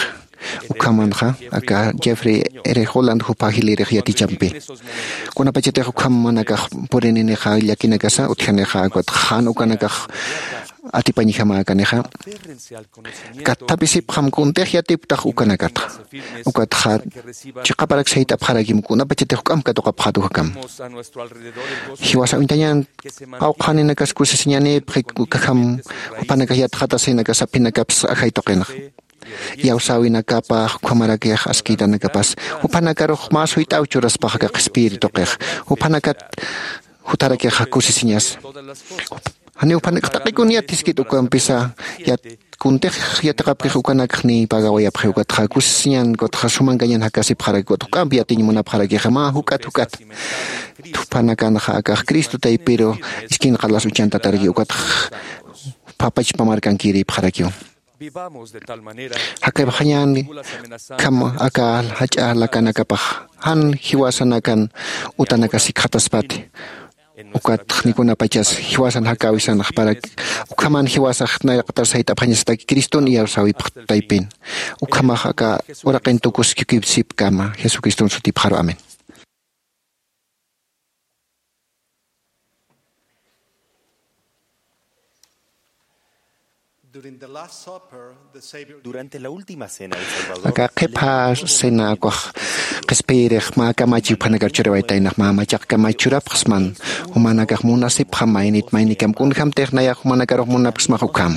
ukhamanxa aka jeffrey r holland jupa jilïrix yatichampi kunapachatix ukham jumanakax purininixa llakinakasa utjanixa ukatxa jan ukanakax atipañjamäkanixa katthapisipxam kuntix yatipktax ukanakatxa ukatxa chiqaparak sayt'apxarakim kunapachatix juk'amp katuqapxät ukhakam jiwasa uñtañan qawqhaninakas kusisiñanïpxi ukhakam jupanakax yatxatasinakax saphinakaps ajay tuqinxa iyawsäwinakapax ukhamarakix askïtanakapas juphanakarux mä suyt'aw churaspax aka qhispiyiri tuqix juphanakat jutarakixa kusisiñas janiw jupanakax taqikun yatiskit ukampisa kuntix yatiqapkix ukanakxniy pagawayapxi ukatxa kusisiñan ukatxa sumankañan jakasipxaraki ukatxa juk'amp yatiñ munapxarakixa mä juk'at juk'at juphanakanxa akax cristo taypiru iskin qalas uchantataraki ukatxa phapachapamarkan kirïpxarakiw jakaypxañäni kham aka jach'a lakanakapax jan jiwasanakan utanakasikxataspati ukatxnikunapachas jiwasan jakäwisanxparak ukhaman jiwasax nayraqatar sayt'apxañasataki criston iyawsäwipx taypin ukhamax aka uraqin tukuskipsipkama jesucriston sutipxaru amén. Durante la última cena, el Salvador aka qhipha cena ukax qhispiyirix mä kamachi juphanakar churawaytaynax mä machaq kamachi churapxsman jumanakax munasipxam maynit maynikam kunjämtix nayax jumanakarux munapksmax ukham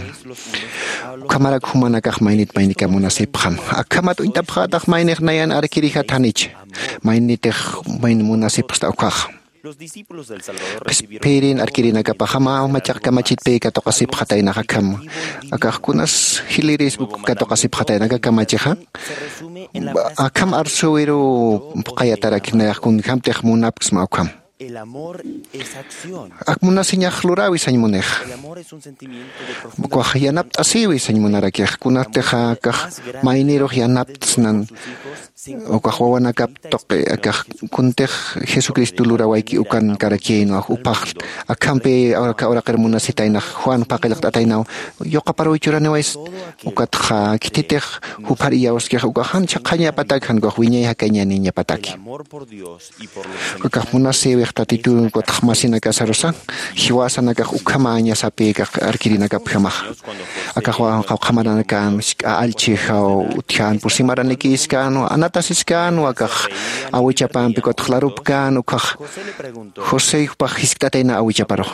ukhamarak jumanakax maynit maynikam munasipxam akhamat uñtapxätax maynix nayan arkirijat janich maynitix mayni munasipxsta ukkhaxa qhispiyirin arkirinakapaxama machaq kamachitpï katuqasipxataynax akham akax kunas jilïrisp katuqasipxatayna aka kamachixa akham arsuwiruw phuqhayatarak nayax kunjämtix munapksma ukham Ak munasiñax luräwi sañ munixa. Ukax yanapt'asïwi sañ munarakix kunatix akax maynirux yanapt'snan. Ukax wawanakap tuqi akax kuntix jesucristo lurawayki ukankarakïnwa upax akhampi aka uraqir munasitaynax juan paqillqt'ataynaw. Yuqaparuw churaniways ukatxa khithitix juphar iyawskix ukax jan chhaqhañapatak jan ukax wiñay jakañaniñapataki. Ukax munasïwix tatitun ukatx masinakasarusa jiwasanakax ukhamañasapïkax arkirinakapjamaxa. Akaxwa qawqhamaranakan jisk'a allchhijaw utjan pusimaranikïskan anatasiskänwa akax awichapampi ukatx larupkän ukhax josé jupax jiskt'atayna awichaparux.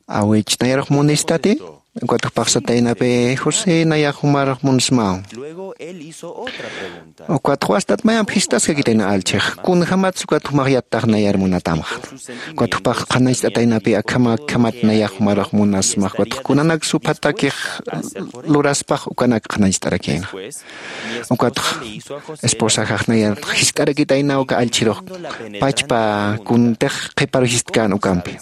Awich nayarux munistati? Ukat jupax sataynapi josé nayax jumarux munsmaw. Ukat wastat mayamp jistaskakitayna allchhix kunjämats ukat jumax yattax nayar munatamxa. Ukat jupax qhanañcht'ataynapi akhama akhamat nayax jumarux munasmax ukat kunanak suphatakix luraspax ukanak qhanañcht'arakïna. Ukatx esposaxax nayar jiskt'arakitayna uka allchhirux pachpa kuntix qhiparu jiskt'kän ukampi.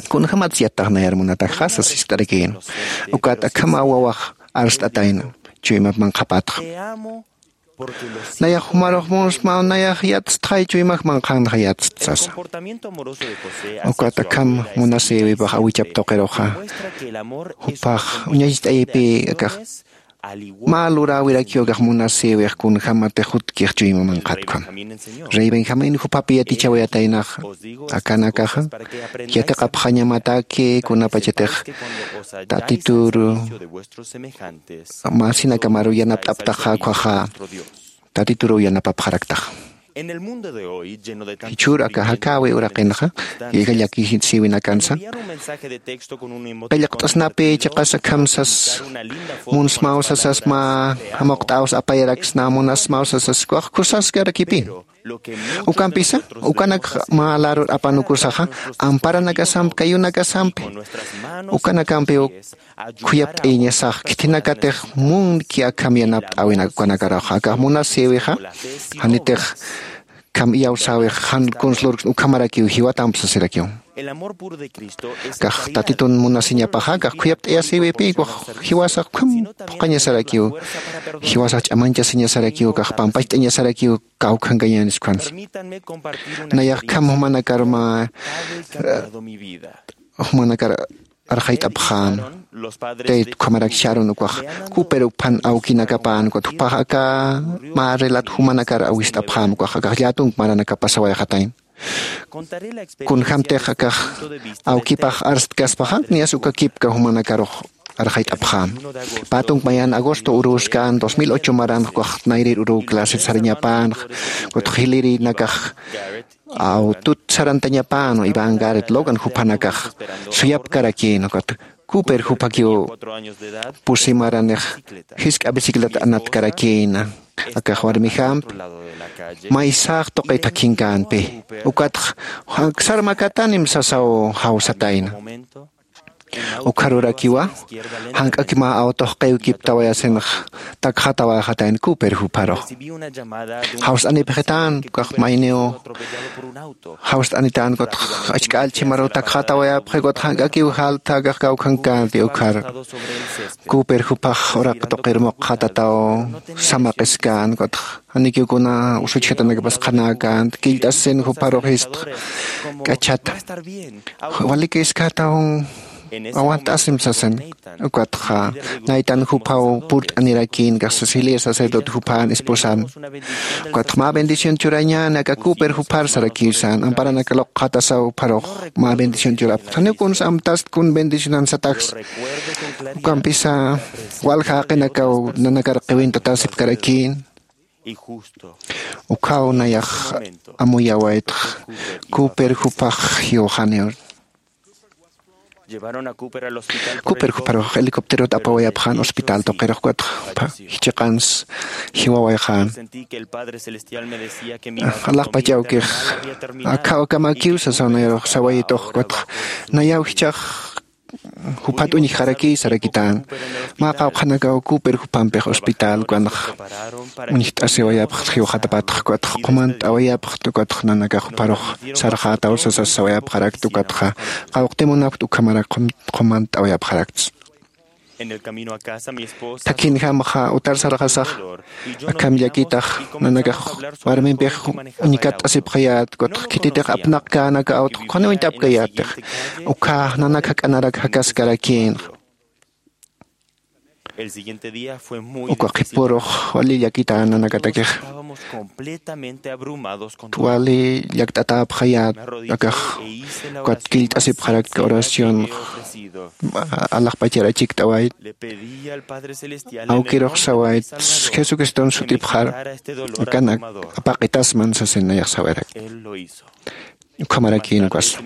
Kunjämats yattax nayar munatakxa sas jiskt'arakïna. Ukat akhama wawax arst'atayna chuymap manqhapatxa. Nayax jumarux munsmaw nayax yatstxay chuymax manqhanxa yatst sasa. Ukat akham munasïwipax awichap tuqiruxa jupax uñacht'ayipï akax mä luräwirakiw akax munasïwix kunjämatix jutkix chuyma manqhatkham. Rey benjamín juphapi yatichawayataynaxa akanakaxa yatiqapxañamataki kunapachatix tatituru masinakamaruw yanapt'aptaxa ukkhaxa tatituruw yanapapxaraktaxa. Jichhür aka jakäwi uraqinxa llakisïwinakansa qillqt'asnapi chiqas akham sas munsmaw sasas mä jamuqt'aws apayaraksna munasmaw sasas ukax kusaskarakipïn. Ukampisa ukanak mä larur apanukusaxa amparanakasampi kayunakasampi ukanakampiw khuyapt'ayañasax khithinakatix munki akham yanapt'äwinak ukanakaruxa akax munasïwixa janitix kham iyawsäwix jan kuns lurksna ukhamarakiw jiwatamp sasirakiw. Akax tatitun munasiñapaxa akax khuyapt'ayasïwipï ukax jiwasax ukham phuqhañasarakiw jiwasax ch'amañchasiñasarakiw akax pampacht'añasarakiw kawkhankañänis ukhans. Nayax kham jumanakar mä jumanakar arxayt'apxäna. Tayt ukhamarak sharun ukax cooper uphan awkinakapän ukat jupax aka mä relat jumanakar awist'apxäna ukax akax llätunk maranakapasawayxatayna. Kunjämtix akax awkipax arstkaspaxa niyas uka kipka jumanakarux arxayt'apxäna. Pä tunk mayan agosto urüskän dos mil ocho maranx ukax nayrir urüw claset sarañapänxa. Ukatx jilirinakax awtut sarantañapänwa iván garet logan juphanakax suyapkarakïna ukat cooper juphakiw pusi maranix jisk'a bicicleta anatkarakïna. Akax warmijampi maysax tuqit jakhinkänpï ukatx aksar makatanim sasaw jawsatayna. Ukharurakiwa jank'aki mä awtox qiwkiptawayasinx takxatawayxatayna cooper jupharux. Jawst'anipxitän ukax mayniw jawst'anitän ukatx achk'allchhimaruw takxatawayapxi ukatx jank'akiw jaltha akax kawkhankänti ukhar. Cooper juphax uraq tuqir muqxatataw samaqiskän ukatx janikiw kuna usuchjatanakapas qhanäkänti killt'asisin jupharux jistx k'achhata. Walikïskataw awant'asim sasin. Ukatxa naytan juphaw purt'anirakïn kax cecilia sacerdote juphan esposan. Ukatxa mä bendición churañäni aka cooper juphar sarakiw sän amparanaka luqxatasaw jupharux mä bendición churapxta janiw kuns amtast kun bendicionan sataks. Ukampisa walja jaqinakaw nanakar qiwintatasipkarakïn. Ukhaw nayax amuyawaytx cooper juphax jiwxaniw. Cooper jupharux helicópterot apawayapxän hospital tuqirux ukatx jichiqans jiwawayxän. Alaxpach awkix akhaw akamakiw sasaw nayarux sawayitux ukatx nayaw jichhax juphat uñjxaraki sarakitän. Mä qawqhanakaw Cooper jupampix hospital ukanx uñjt'asiwayapxta, jiwxatapatx ukatx qumant'awayapxta, ukatx nanakax jupharux sarxätaw sasas sawayapxarakta, ukatxa qawqti munapkta ukhamarak qum-, qumant'awayapxarakts. Thakhinjamxa utar sarxasax, akham llakitax nanakax warmimpix uñkatt'asipxayät, ukatx khititix apnaqkänaka awtx qhuni uñt'apkayättix. Ukkha nanak jak'anarak jakaskarakïnxa. Uka qhipürux wali llakitän nanakatakix. Wali llakt'atäpxayät, akax ukat killt'asipxarakta oración alaxpachar achikt'awayt. Awkirux sawayt, Jesucriston sut'ipxar, akanak apaqitasman sasin nayax sawayarak. Ukhamarakïn ukas.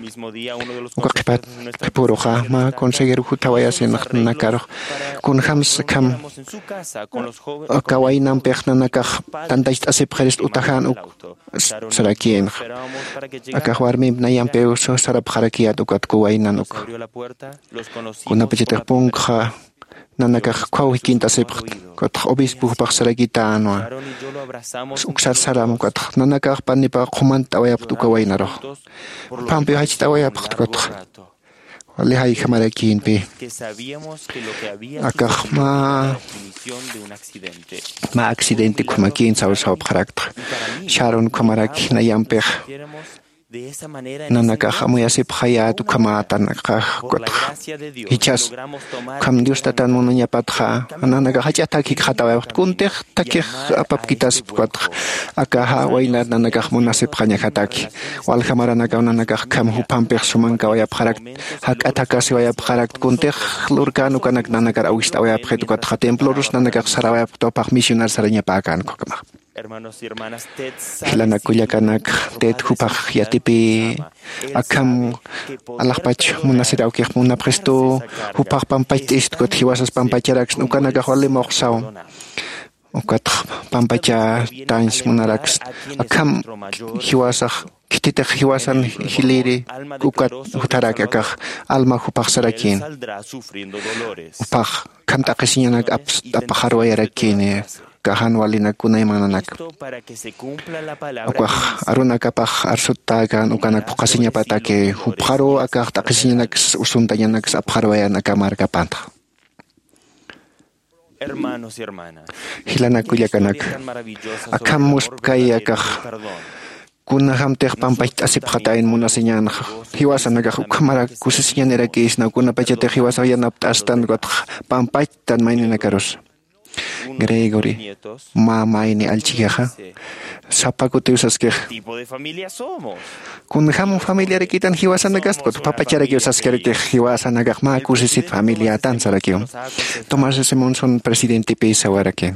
Uka qhipat, qhipüruxa mä consejero juthawayasin nanakarux, kunjams akham aka waynampix nanakax tantacht'asipxirist utajan uk sarakïnxa. Akax warmimp nayampiw sarapxarakiyät ukat kuwaynan uk. Kunapachatix punkxa nanakax ukkhaw jikint'asipxt, ukatx obispo jupax sarakitänwa. Uksar saram ukatx nanakax panipaw qhumant'awayapxt uka waynarux. Jupampiw jacht'awayapxt ukatx. Wali jayjamarakïnpi. Akax mä, mä accidente ukhamakïn sawsawapxarakta. Sharon ukhamaraki nayampix. Nanakax amuyasipxayät ukhamätanakax ukatx jichhas. Ukham Dios Tatan munañapatxa nanakax jach'a thakikxatäwayapxt, kuntix thakix apapkitaspa ukatx. Akaxa waynar nanakax munasipxañajataki. Walja maranakaw nanakax akham jupampix sumankawayapxarakta, jak'at jakasiwayapxarakta, kuntix lurkän ukanak nanakar awist'awayapxit ukatxa templorus nanakax sarawayapxta jupax misionar sarañapäkän ukhamax. Jilanak kullakanak, Ted jupax yatipï akham alaxpach munasir awkix munapxistu, jupax pampacht'ist ukat jiwasas pampacharaksna, ukanakax wali muxsaw. Ukatx pampachatañs munaraksna, akham jiwasax khititix jiwasan jiliri ukat jutharaki akax Alma jupax sarakïn. Jupax akham t'aqhisiñanak aps-, apxarwayarakïni. Kajan walinak kunaymananak. Ukax arunakapax arsutäkän ukanak phuqhasiñapataki jupxaruw akax t'aqhisiñanaks usuntañanaks apxarwayan aka markapantxa. Jilanak kullakanak, akham muspkay akax kunjamtix pampacht'asipxatayn munasiñänxa. Jiwasanakax ukhamarak kusisiñanirakïsnaw, kunapachatix jiwasaw yanapt'astan ukatx pampachtan mayninakarus. Gregory, mä mayni allchikixa sapa kutiw saskix. Kunjam familiarakïtan jiwasanakast, ukatx pacharakiw saskiraki jiwasanakax mä kusisit familiätan sarakiw. Tomás Simonson presidentepï sawaraki.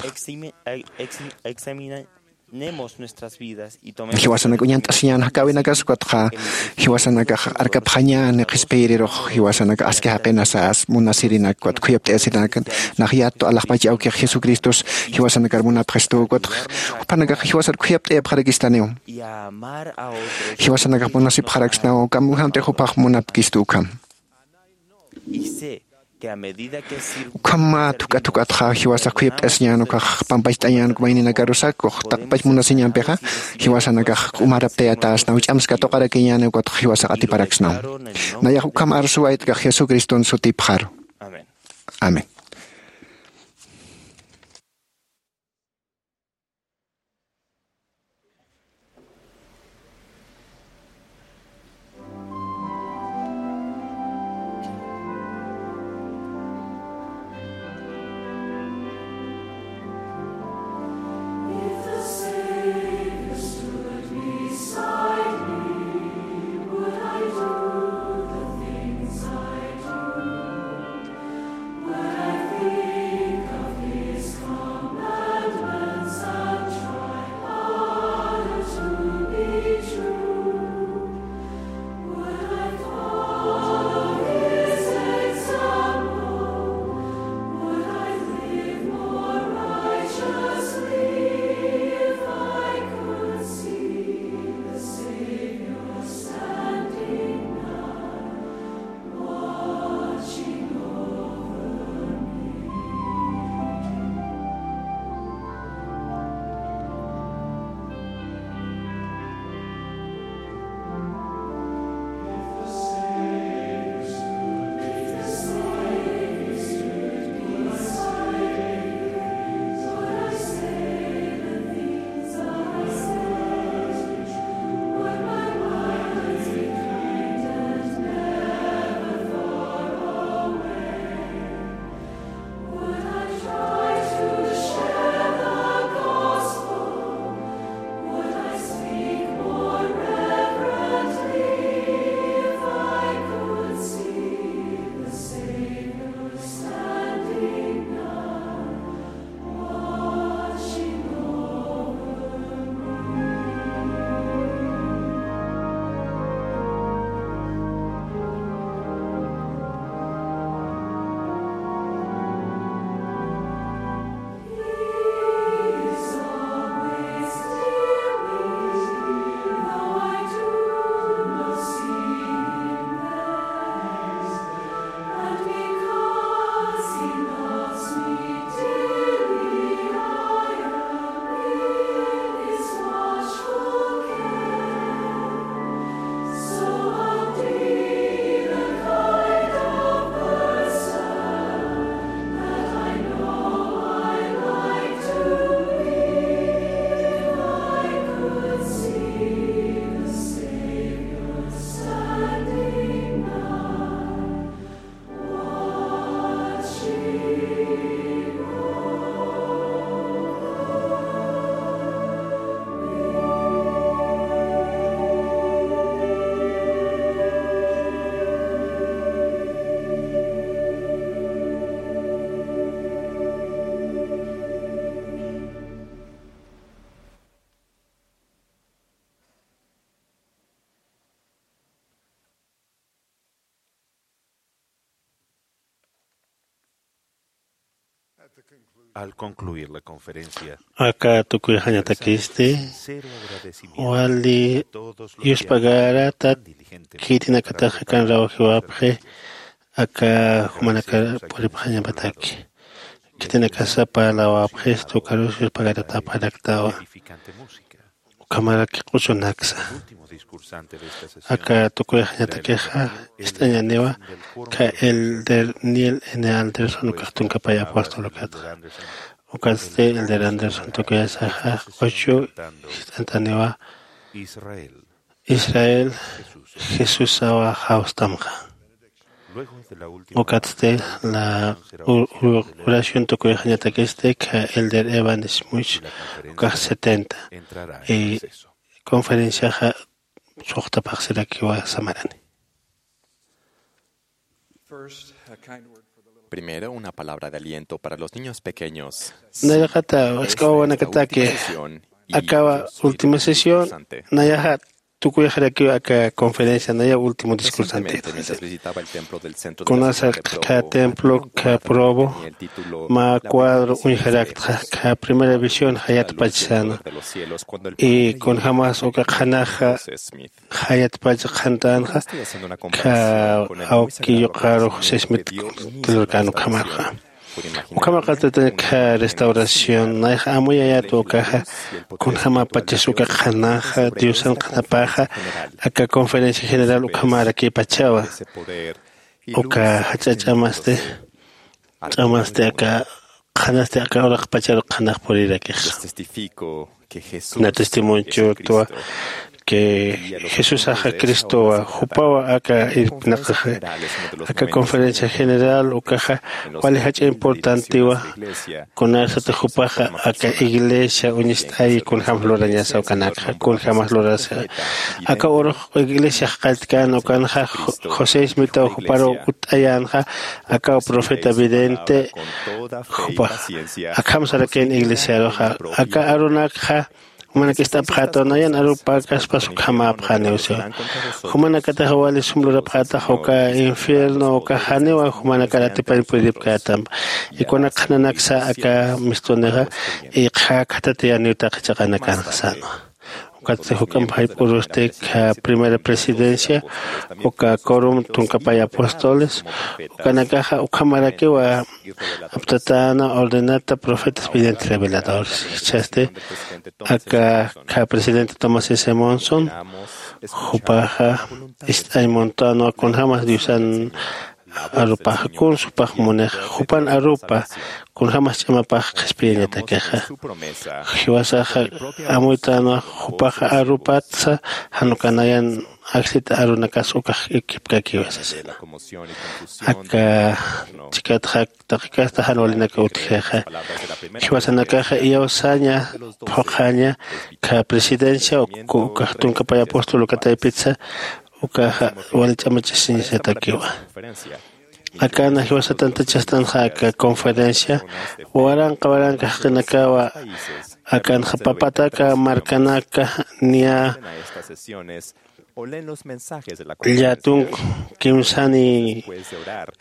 Jiwasanak uñant'asiñän jakäwinakas ukatxa, jiwasanakax arkapxañäni qhispiyirirux, jiwasanakax aski jaqinasas munasirinak ukat khuyapt'ayasirinak, nax yattu alaxpach awkix Jesucristos jiwasanakar munapxistu ukatx, jupanakax jiwasar khuyapt'ayapxarakistaniw. Jiwasanakax munasipxaraksnaw, ukham kunjamtix jupax munapkistu ukham. Ukham mä thuk'a thuk'atxa jiwasax khuyapt'asiñän ukax pampacht'añän uk mayninakarusakux taqpach munasiñampixa, jiwasanakax umaraptayatäsnaw, ch'ams katuqarakiñäni ukatx jiwasax atiparaksnaw. Nayax ukham arsuwaytkax Jesucriston sutipxaru. Amén. Al concluir la conferencia, aka tukuyxañatakisti, sincero agradecimiento wali a todos los que yuspagaratat ayudaron diligentemente khitinakataxa kan rawjiwapxi, aka jumanakar puripxañapataki. Khitinakasa parlawapxistu ukarus yuspagaratapxaraktawa. Edificante música. Ukhamaraki q'uchunaksa. Último discursante de esta sesión, aka tukuyxañatakixa, ist'añaniwa, ka elder Neil N. Anderson, ukax tunkapay apóstol ukata. Ukatsti elder Anderson tukuyasaxa q'uchu ist'antaniwa. Israel, Israel, Jesusawa jawstamxa. Ukatsti la u- u- oración tukuyxañatakisti, ka elder Evan Smuch, ukax setenta, y conferenciaxa suxtapxsirakiwa samarani. Primero, una palabra de aliento para los niños pequeños. Nayraqata, isk'awawanakataki, akawa última sesión, nayaxa tukuyxarakiw aka conferencia, naya último discursanti. Kunasa ka templo ka Provo mä cuadro uñjaraktxa, ka primera visión jayatpachsana. Y kunjämas uka qhanaxa jayatpach qhantänxa, ka awki yuqaru José Smith tulurkän ukhamarxa. Ukhamaqatatañ ka restauración, nayxa amuyayät ukaxa, kunjämapachas uka qhanaxa, Diosan qhanapaxa, aka conferencia general ukhamarakipachawa. Uka jach'a ch'amasti, ch'amasti aka qhanasti aka uraqpacharu qhanax purirakix. Na testimonio churtwa que Jesusaxa Cristowa, jupawa aka irpinaqaxa. Aka conferencia general ukaxa wali jach'a importantiwa, kunarsati jupaxa aka iglesia uñist'ayi kunjämas lurañasa ukanakxa, kunjämas lurasa. Aka urux iglesiax qalltkän ukanxa, José Smitaw juparu utt'ayänxa, akaw profeta vidente, jupax akham sarakïn iglesiaruxa, aka arunakxa, jumanak ist'apxätaw nayan arupäkaspas ukhamäpxäniw siwa. Jumanakataxa wali sum lurapxätax uka infierno ukax janiwa jumanakar atipañ puripkätam. Y kunak qhananaksa aka mistunixa, y qhäkhatatayaniw taqi chiqanakanxa sänwa. Ukatsti juk'amp jayp'urusti ka primera presidencia, uka quorum tunkapay apóstoles, ukanakaxa ukhamarakiwa aptatäna ordenata profetas videntes reveladores. Jichhasti aka ka presidente Thomas S. Monson, jupaxa ist'añ muntänwa kunjämas Diosan arupaxa, kuns jupax munixa, jupan arupa kunjämas ch'amapax qhispiyañatakixa. Jiwasaxa amuytänwa jupaxa arupatsa, jan uka nayan ajllita arunakas ukax ikipkakiwa sasina. Aka chikatxa taqi kasta jan walinaka utjixa. Jiwasanakaxa iyawsaña, phuqhaña, ka presidencia, ukax tunkapay apóstol uka taypitsa, ukaxa wali ch'amachasiñasatakiwa. Akana jiwasa tantachastanxa aka conferencia, waranqa waranqa jaqinakawa, akanxa papataka, markanaka, niya, llätunk kimsani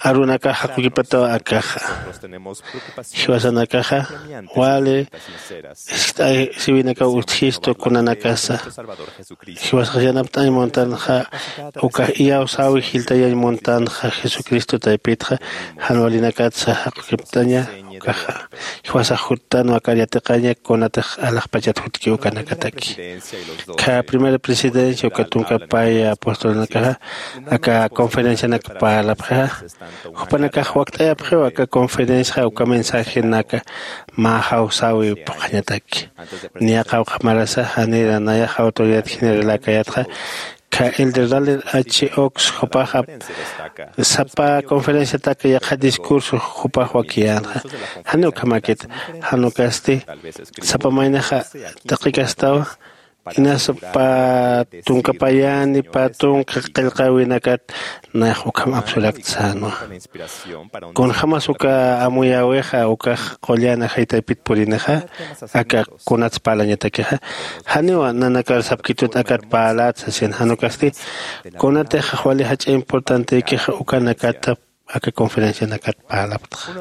arunakax jaqukipataw akaxa. Jiwasanakaxa wali ist'ay siwinakaw utjistu kunanakasa. Jiwasax yanapt'añ muntanxa, ukax iyawsäwi jilltayañ muntanxa Jesucristo taypitxa, jan walinakatsa jaqukiptaña ukaxa. Jiwasax juttanwa akar yatiqaña kunatix alaxpachat jutki ukanakataki. Ka primera presidencia uka tunkapay apostolanakaxa, aka conferencianak parlapxixa, jupanakax wakt'ayapxiwa aka conferenciaxa uka mensajenaka mä jawsäwi phuqhañataki. Niya qawqha marasa janira nayax autoridad generaläkayätxa, ka elder Dallin H. Oaks jupaxa sapa conferenciatak yaqha discurso jupax wakiyänxa. Janiw ukhamäkit, jan ukasti sapa maynixa taqikastawa, inasa pä tunka payani, pä tunka qillqäwinakat nayax ukham apsurakta sänwa. Kunjämas uka amuyäwixa ukax qullan ajay taypit purinixa, aka kunats parlañatakixa, janiwa nanakar sapkitut akat parläta sasin, jan ukasti kunatix wali jach'a importantekixa ukanakata aka conferencianakat parlaptxa.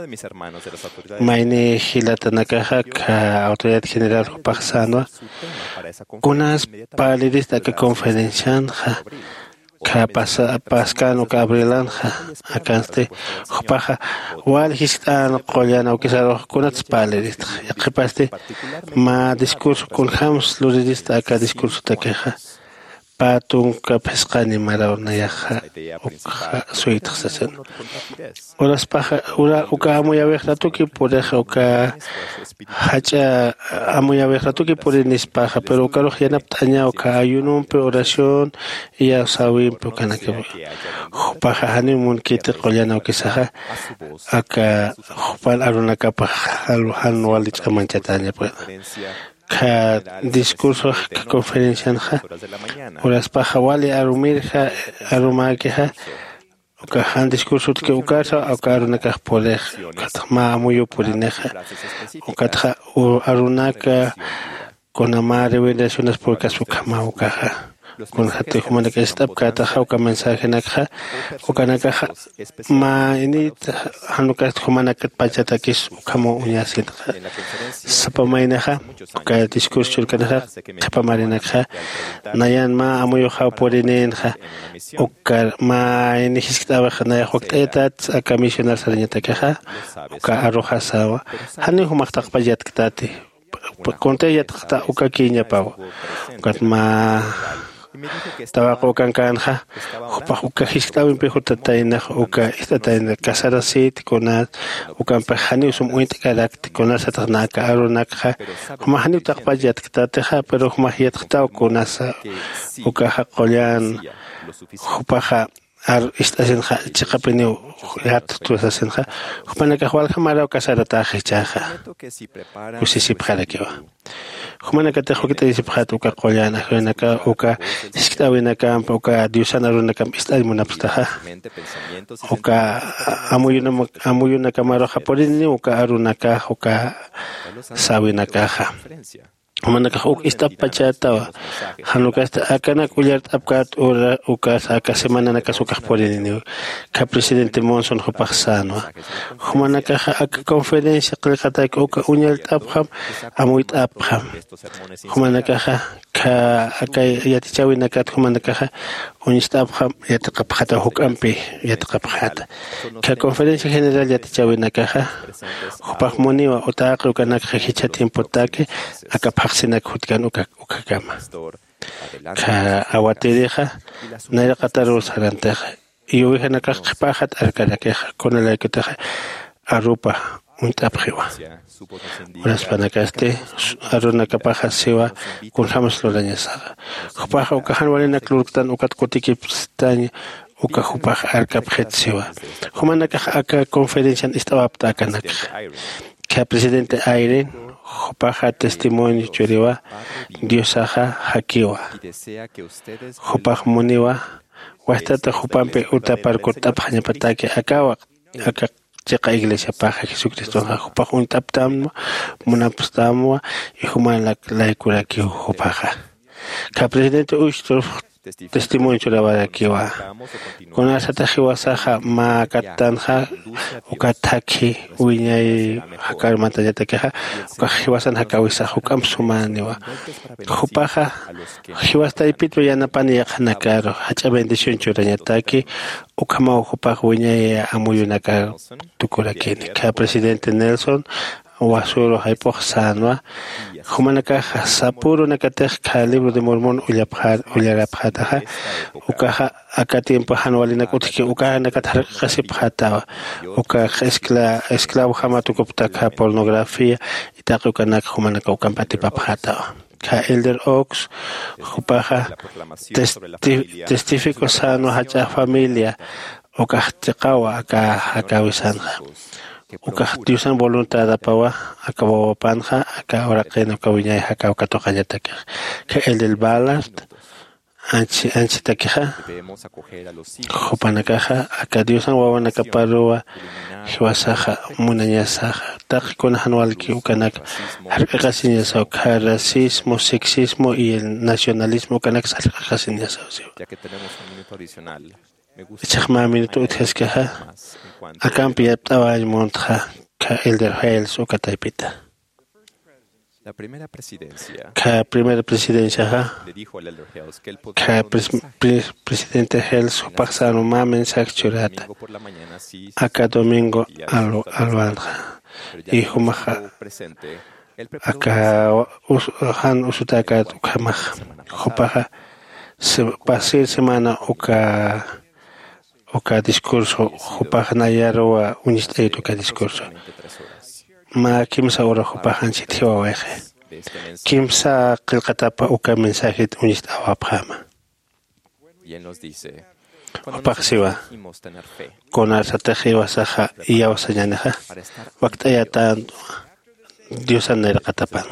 Mayni jilatanakaxa kha autoridad general jupax sänwa kunas parlirista aka conferencianxa kha paskän uka abrilanxa. Akansti jupaxa wal jiskt'an qullan awkisarux kunats parliristxa yaqhipasti mä discurso kunjämsa lurirista aka discursotakixa. Pä tunka phisqani maraw nayaxa ukxa suytxa sasin. Uraspaxa ura uka amuyawix ratuki purixa uka jach'a amuyawix ratuki purinispaxa pero ukarux yanapt'aña uka ayunompi oración iyawsäwimpi ukanakapi. Jupaxa janiw munkiti qullan awkisaxa aka jupan arunakapax jan wali ch'amanchatäñapxi. Kha discursox kha conferencianxa uraspaxa wali arumirja arumäkixa uka jan discursotki ukasa uka arunakax purix. Ukatxa mä amuyu purinixa ukatxa arunaka kuna mä revelacionas purkaspa ukhamaw ukaxa. Kunjati jumanaka ist'apkätaxa uka mensajenakxa ukanakaxa mä init jan ukasti jumanakat pachatakis ukhamaw uñasinxa. Sapa maynaxa uka discurso churkanaxa qhipa marinakxa nayan mä amuyuxaw purininxa. Ukar mä ini jiskt'äwixa nayax wakt'ayatat aka misionar sarañatakixa uka aruxasawa. Janiw jumax taqpach yatktati kuntix yatqta ukakïñapawa. Ukat mä tawaqü ukankänxa jupax uka jiskt'äwimpi jutataynax uka ist'atayna casarasït kunas ukampix janiw sum uñt'karakti kunasatix na aka arunakxa jumax janiw taqpach yatktatixa pero jumax yatqtaw kunasa ukaxa qullan jupaxa ar ist'asinxa chiqapiniw yattu sasinxa. Jupanakax waljamaraw casaratäxi jichhaxa kusisipxarakiwa. Jumanakatix wakt'ayasipxät uka qullan ajrinaka uka jiskt'äwinakamp uka diosan arunakamp ist'añ munapstaxa uka amuyunakamaruxa purininiw uka arunakax uka säwinakaxa. Jumanakax uk ist'apachätawa. Jan ukasti akanak ullart'apkät ura ukas aka semananakas ukax purininiw. Kha presidente monson jupax sänwa jumanakaxa aka conferencia qillqatak uka uñallt'apxam amuyt'apxam. Jumanakaxa kha aka yatichäwinakat jumanakaxa uñst'apxam yatiqapxäta juk'ampi yatiqapxäta. Kha conferencia general yatichäwinakaxa jupax muniwa utäqi ukanakxa jichha tiempotaki aka phaxsinak jutkan uka ukhakama. Kha awatirixa nayraqataruw sarantixa iyuwijanakax qhipäxat arkarakixa kunalaykutixa arupa uñt'apxiwa. Uraspanakasti arunakapaxa siwa kunjämas lurañasaxa. Jupaxa uka jan walinak lurktan ukat kutikipstañ uka jupax arkapxit siwa. Jumanakax aka conferencian ist'awapta akanakxa. Kha presidente ayrin jupaxa testimonio churiwa diosaxa jakiwa. Jupax muniwa wajtata jupampi utaparkutt'apxañapataki akawa aka chiqa iglesiapaxa jesucristonxa jupax uñt'aptamwa munapstamwa. Y jumanak laykurakiw jupaxa. Kha presidente uystur testimonio churawarakiwa. Kunasatix jiwasaxa mä kattanxa uka thakhi wiñay jakarmantañatakixa ukax jiwasan jakäwisax juk'amp sumäniwa. Jupaxa jiwas taypitwa yanapani yaqhanakaru jach'a bendición churañataki ukhamaw jupax wiñay amuyunakar tukurakini. Kha presidente nelson wasuru jayp'ux sänwa. Jumanakaxa sapürunakatix kha libro de mormon ullarapxätaxa ukaxa aka tiempo jan walinak utjki ukanakat jark'aqasipxätawa. Ukax esclavojama tukuptakxa pornografía itaqi ukanak jumanaka ukamp atipapxätawa. Kha elder ox jupaxa testifico sänwa jach'a familia ukax chiqawa aka jakäwisanxa. Ukax diosan voluntadapawa aka wawapanxa aka uraqin uka wiñay jakäw katuqañatakix. Kha elder ballard anchitakixa jupanakaxa aka diosan wawanakaparuwa jiwasaxa munañasaxa taqi kuna jan walki ukanak jark'aqasiñasaw kha racismo sexismo y el nacionalismo ukanaksa jark'aqasiñasaw siwa. Ichhax mä minuto utjaskaxa, akampi yapt'awañ muntxa, kha Elder Hales uka taypita. La primera presidencia Kha primera presidenciaxa, le dijo al elder Hales que él podía kha dar un pres- mensaje pres- presidente Hales el jupax sänwa mä mensaje churata, domingo por la mañana, sí, aka domingo alwa- alwanxa. Pero ya y que no jumaxa estuvo presente, él preparó un aka mensaje us- jan usutäkät ukhamaxa, jupaxa se- pasir semana uka uka discurso jupax nayaruwa uñist'ayut uka discurso. Mä kimsa ura jupax anchhit jiwawayxi. Kimsa qillqatapa uka mensajit uñist'awapxäma. Jupax siwa, kunarsatix iwasaxa iyawsañänixa, wakt'ayatänwa diosan nayraqatapan.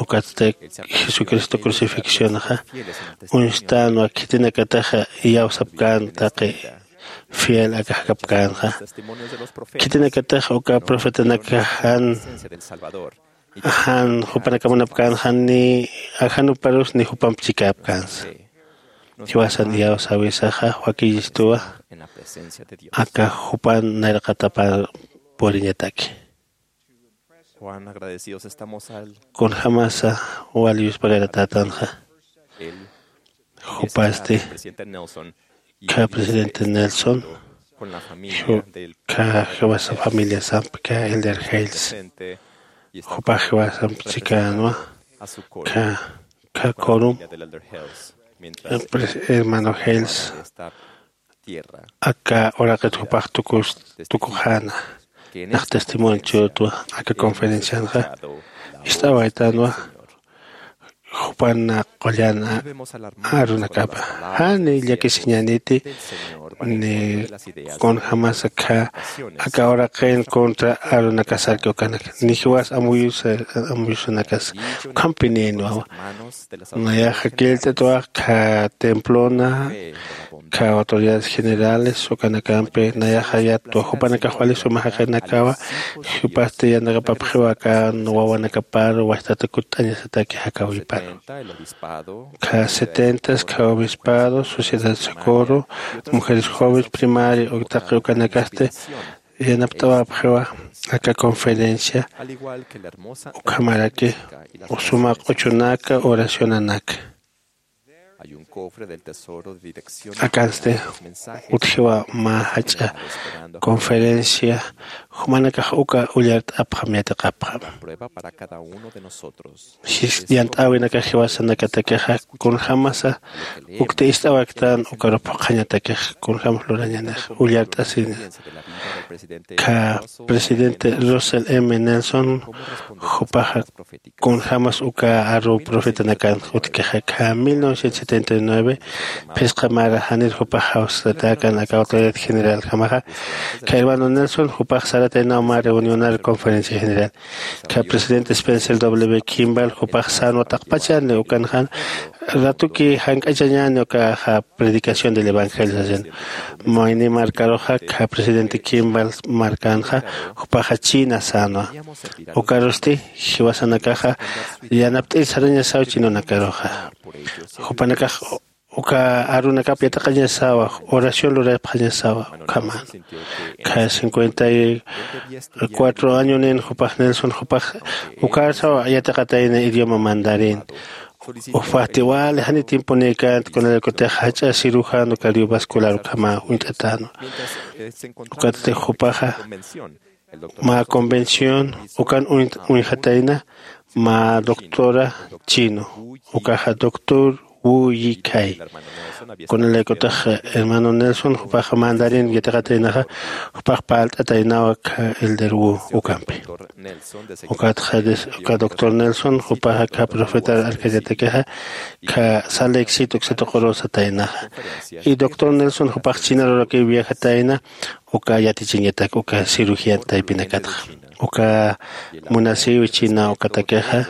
Ukatsti jesucristo crucifixionxa uñstänwa khitinakataxa iyawsapkän taqi fiel aka jakapkänxa. Khitinakataxa uka profetanakax jan jan jupanakam munapkänxa ni ajanuparus ni jupamp chikäpkänsa. Jiwasan iyawsäwisaxa wakiyistuwa aka jupan nayraqatapar puriñataki. Cuán agradecidos estamos al Kunjamasa wal yuspagaratätanxa. Jupasti kha presidente Nelson, kha jiwasa familiasamp kha Elder Hales, jupax jiwasamp chikänwa kha kha corum, hermano Hales aka uraqit jupax tukus tukuxäna. Nax testimonio churtwa aka conferencianxa ist'awaytanwa jupan qullan arunakapa. Jani llakisiñäniti ni kunjämas akha aka uraqin contra arunakasarki ukanak ni jiwas amuyusa amuyusanakas ukhampinïnwawa. Nayaxa killt'atwa kha templona kha autoridades generales ukanakampi nayaxa yattwa jupanakax wali suma jaqinakawa. Jupasti yanaqapapxiwa aka wawanakapar wajtata kutt'añasataki jakawiparu. Kha setentas kha obispado sociedad socorro mujeres jóvenes primaria uktaqi ukanakasti yanapt'awapxiwa aka conferencia ukhamaraki suma q'uchunaka oracionanaka. Akansti utjiwa mä jach'a conferencia jumanakax uka ullart'apxam yatiqapxam. Yant'äwinakax jiwasanakatakixa kunjämasa ukta ist'awaktan ukarup phuqhañatakix kunjämas lurañanix ullart'asini. Kha presidente Russell M Nelson jupaxa kunjämas uka aru profetanakan utjkixa kha mil novecientos setenta y nueve phisqa mara janir jupax jawsatäkan aka autoridad generaljamaxa. Kha hermano Nelson jupax sarataynaw mä reunionar conferencia general. Kha presidente Spencer W Kimball jupax sänwa taqpachani ukanxan ratuki jank'achañäni ukaxa predicación del evangelio sasin. Mayni markaruxa kha presidente Kimball markanxa jupaxa china sänwa. Ukarusti jiwasanakaxa yanapt'ir sarañasaw chinunakaruxa. Jupanakax uka arunakap yatiqañasawa oración lurapxañasawa ukhaman. Kha cincuenta y cuatro añonin jupax Nelson jupax ukarsaw yatiqatayna idioma mandarín. Ufati wali jani tiemponïkänti kunalaykutix jach'a cirujano cardiovascular ukhama uñt'atänwa. Ukatsti jupaxa mä convención ukan uñjatayna mä doctora chino ukaxa doctor Wu Yikhay. Kunalaykutix hermano Nelson jupax mandarín yatiqataynaxa jupax parlt'ataynawa kha elder Wu ukampi. Ukatxa uka doctor Nelson jupaxa kha profeta arkañatakixa kha sal éxito uksatuquru sataynaxa. Y doctor Nelson jupax china ruraki viajatayna uka yatichiñatak uka cirugía taypinakatxa. uka munasiwi china ukatakixa,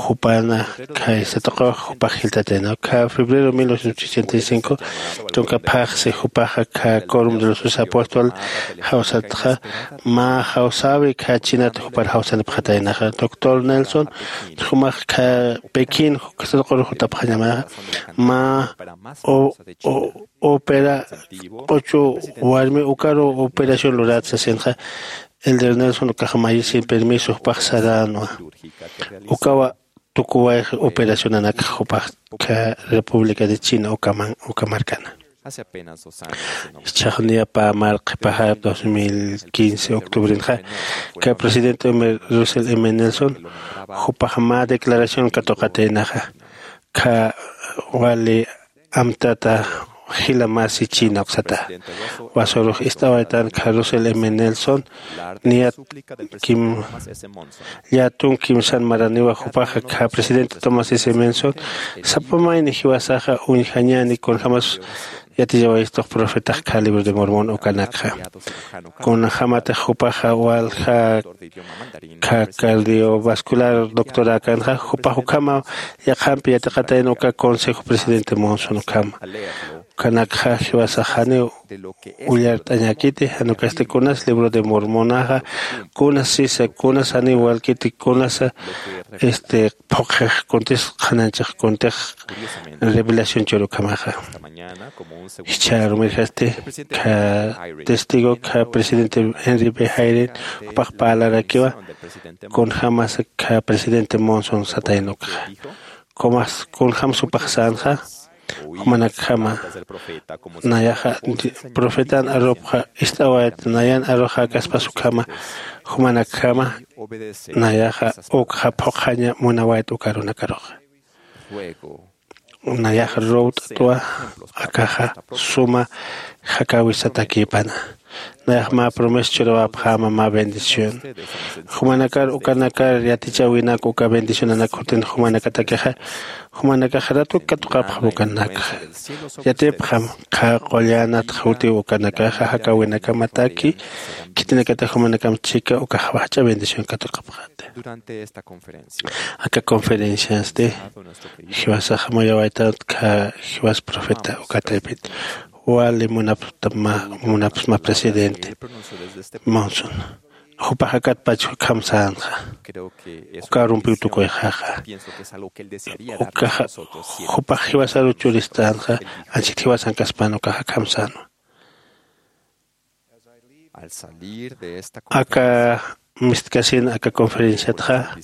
jupana khaysatuqa jupax jiltatayna. Kha febrero mil novecientos ochenta y cinco tunka phaxsi jupaxa kha Quorum de los Doce Apóstol jawsatxa, mä jawsäwi kha chinat jupar jawsanipxataynaxa. Doctor Nelson jumax kha Pekín jukasatuqur jutapxañamaxa, mä o- o- opera q'uchu warmi ukaru operación lurat sasinxa. Elder Nelson ukax mayisin permiso jupax saränwa. Ukawa tukuwayx operacionanakxa jupax kha República de China ukaman uka markana. Jichhax niya pä marqhi pajar dos mil quince octubrenxa, kha presidente Russell M Nelson jupax mä declaración katuqataynaxa, kha wali amtata jila masi china uksata. Wasürux ist'awaytan kha Russell M Nelson niyat kim llätun kimsan maraniwa. Jupaxa kha presidente Thomas S Monson sapa mayni jiwasaxa uñjañäni kunjämas yatichawayistux profetax kha Libro de Mormon ukanakxa. Kunjämatix jupaxa walja kha cardiovascular doctoräkanxa, jupax ukhama yaqhampi yatiqatayna uka Consejo Presidente Monson ukhama. Ukanakxa jiwasax janiw ullart'añäkiti, jan ukasti kunas Libro de Mormonaxa, kunas sisa, kunas janiw walkiti, kunasa este phuqhix kuntix qhanañchix kuntix revelación chur ukhamaxa. Jichhärumirjasti kha testigo kha presidente Henry B Hayden jupax parlarakiwa kunjämasa kha presidente Monson satayna ukxa. Kumas kunjämsa jupax sänxa, jumanakjama nayaxa profetan arupxa ist'awayat nayan arux jakaspas ukhama, jumanakjama nayaxa ukxa phuqhaña munawayat uka arunakaruxa. Nayax ruwt'twa akaxa suma jakäwisatakïpana. Nayax mä promesa churawapxäma mä bendición. Jumanakar ukanakar yatichäwinak uka bendicionanak jutin jumanakatakixa, jumanakax ratuk katuqapxam ukanakxa. Yatipxam qha qullanat jutiw ukanakaxa jakäwinakamataki, khitinakatix jumanakam chika ukax jach'a bendición katuqapxäti. Aka conferenciasti jiwasax muyawaytät kha jiwas profeta ukataypit wali munapsma, munapsma presidente Monson. Jupax akatpach ukham sänxa. Uka arumpiw tukuyxaxa. Ukaxa jupax jiwasaru churistänxa, anchhit jiwasankaspan ukax akham sänwa. Aka mistkasin aka conferenciatxa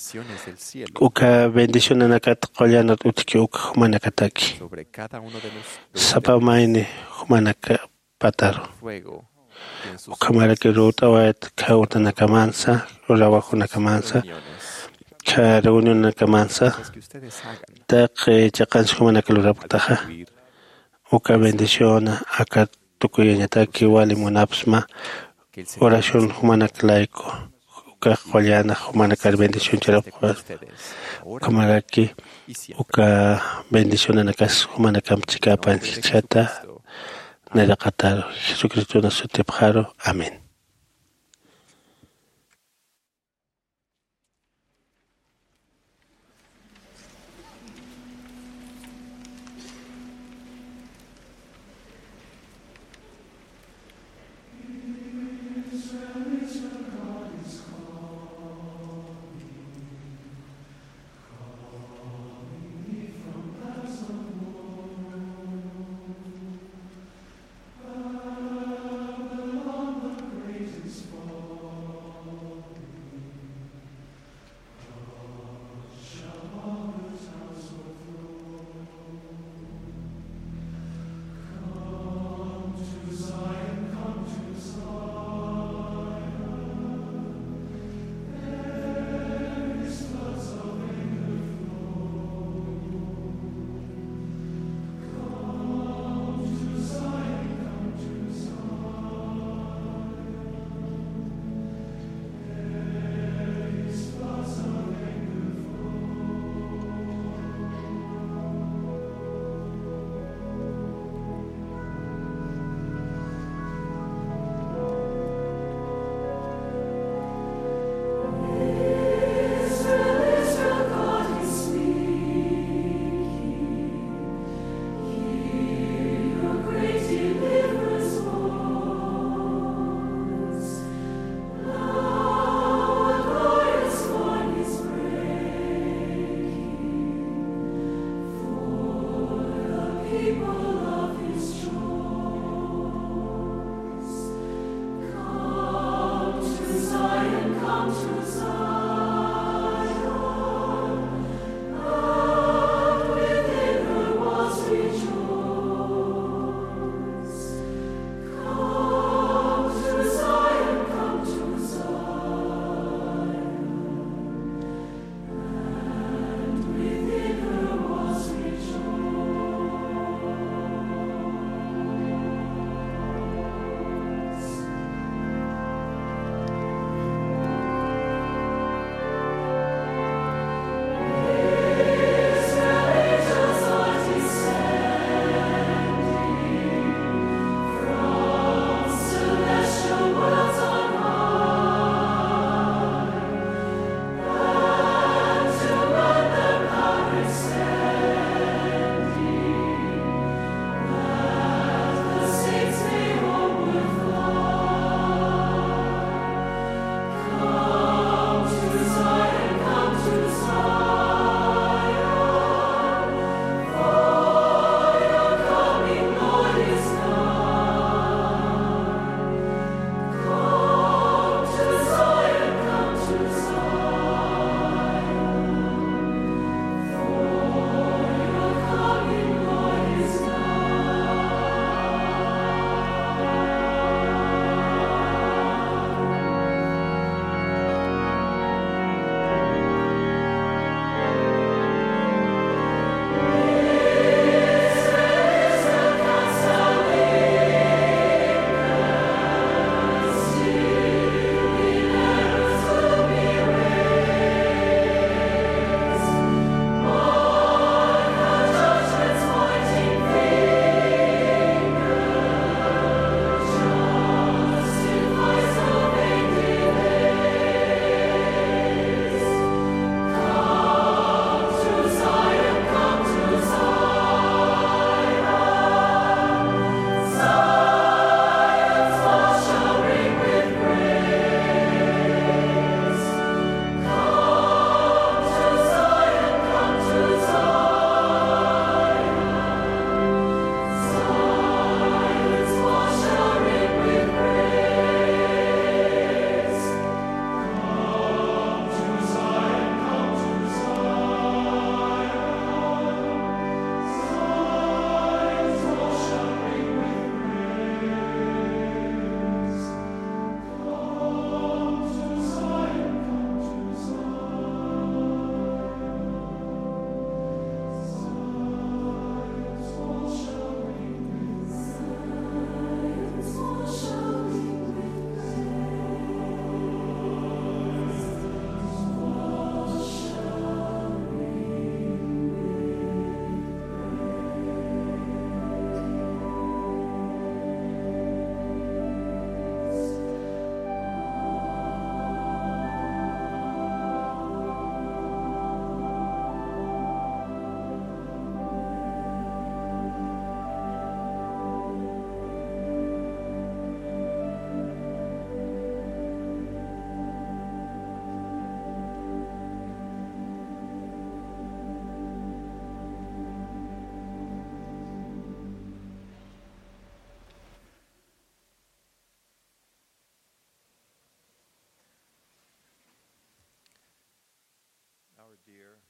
uka bendicionanakat qullanat utjki uk jumanakataki. Sapa mayni jumanakapataru. Ukhamaraki ruwt'awayat kha utanakamansa, urawakunakamansa, kha reunionanakamansa, taqi chiqansi jumanaka lurapktaxa. Uka bendiciona aka tukuyañataki wali munapsma oración jumanak layku, uka qullana jumanakar bendición churapxwa. Ukhamaraki uka bendicionanakas jumanakamp chikapan jichhata nayraqataru, Jesucristona sutipxaru. Amén.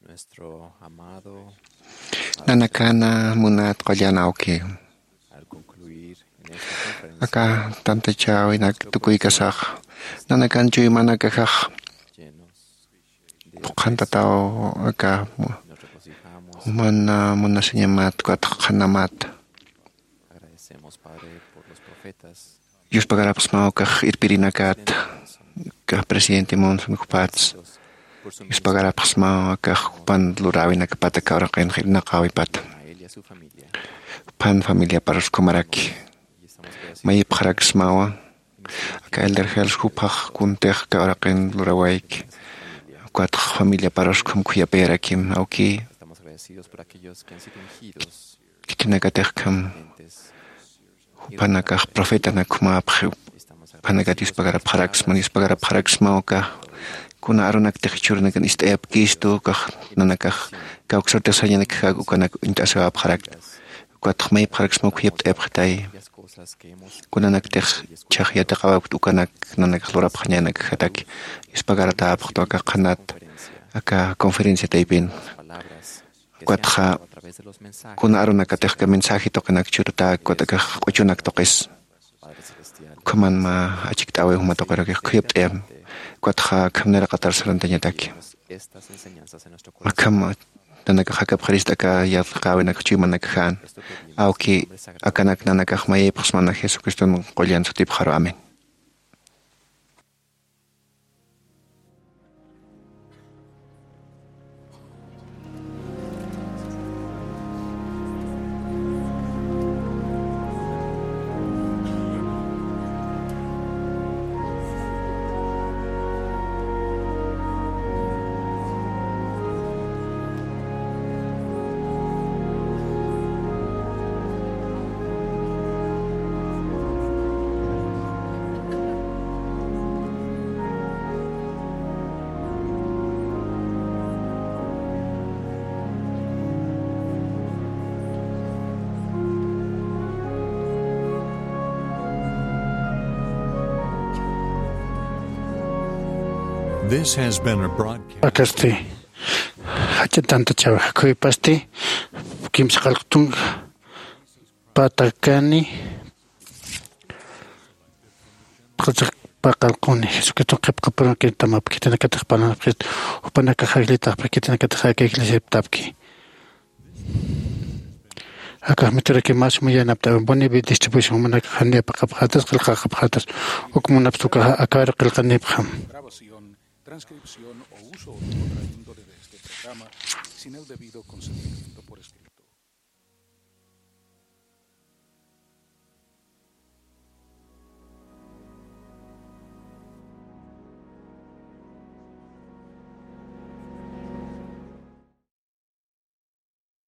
Nuestro amado Nanakana munat qullan awki. Al concluir en esta conferencia, aka tantachawinak tukuykasax, nanakan chuymanakaxax llenos de phuqhantataw aka mu-, nos regocijamos mana munasiñamat, ukat qhanamat. Agradecemos, Padre, por los profetas. Yuspagarapxsmaw kax irpirinakat, kax presidente Monson jupats. Yuspagarapxsmaw kax jupan luräwinakapata, kawraqin qillqanaqäwipata. Jupan familiaparus kumaraki. Mayipxaraksmawa. Aka elder Hales jupax kuntix kawraqin lurawayki. Ukatx familiaparus khum khuyapayarakim, awki. Khitinakatix kham jupanakax profetanak jumäpxi, jupanakat yuspagarapxaraksma, yuspagarapxaraksmaw kax kuna arunaktix jichhürunakan ist'ayapkistu, kax nanakax kawksartix sañanakjak ukanak uñt'asiwapxarakta. Ukatx mayipxaraksmaw khuyapt'ayapxitay. Kunanaktix chhax yatiqawapkta ukanak nanakax lurapxañanakjataki, yuspagaratäpxtu aka qhanat, aka conferencia taypin. Ukatxa kuna arunakatix aka mensaje tuqinak churutäk, ukat akax q'uchunak tuqis. Ukhaman mä achikt'äwi juma tuqirakix khuyapt'ayam. Ukatxa akham niraqatar sarantañataki. Akham nanakax jakapxirista aka yatiqäwinak chuymanakaxan. Awki, akanak nanakax mayipxsmana Jesucriston qullan sutipxaru. Amén. This has been a broadcast. Akasti, jach'a tantachäwi jakhuypasti, kimsa qallqu tunka patakani, qhichwa paqallquni, Jesucriston qhipqapurunki tamapki, khitinakatix parlanapxi, jupanakax jayllitapxi, khitinakatix aka iglesiaptapki. Akax mituraki mas muyanapta Boni Distribution jumanakax janiw paqapxätas, qillqaqapxätas, uk munapxta ukaxa aka aru qillqanipxam. Grabación, transcripción o uso u traslado de este programa sin el debido consentimiento por escrito.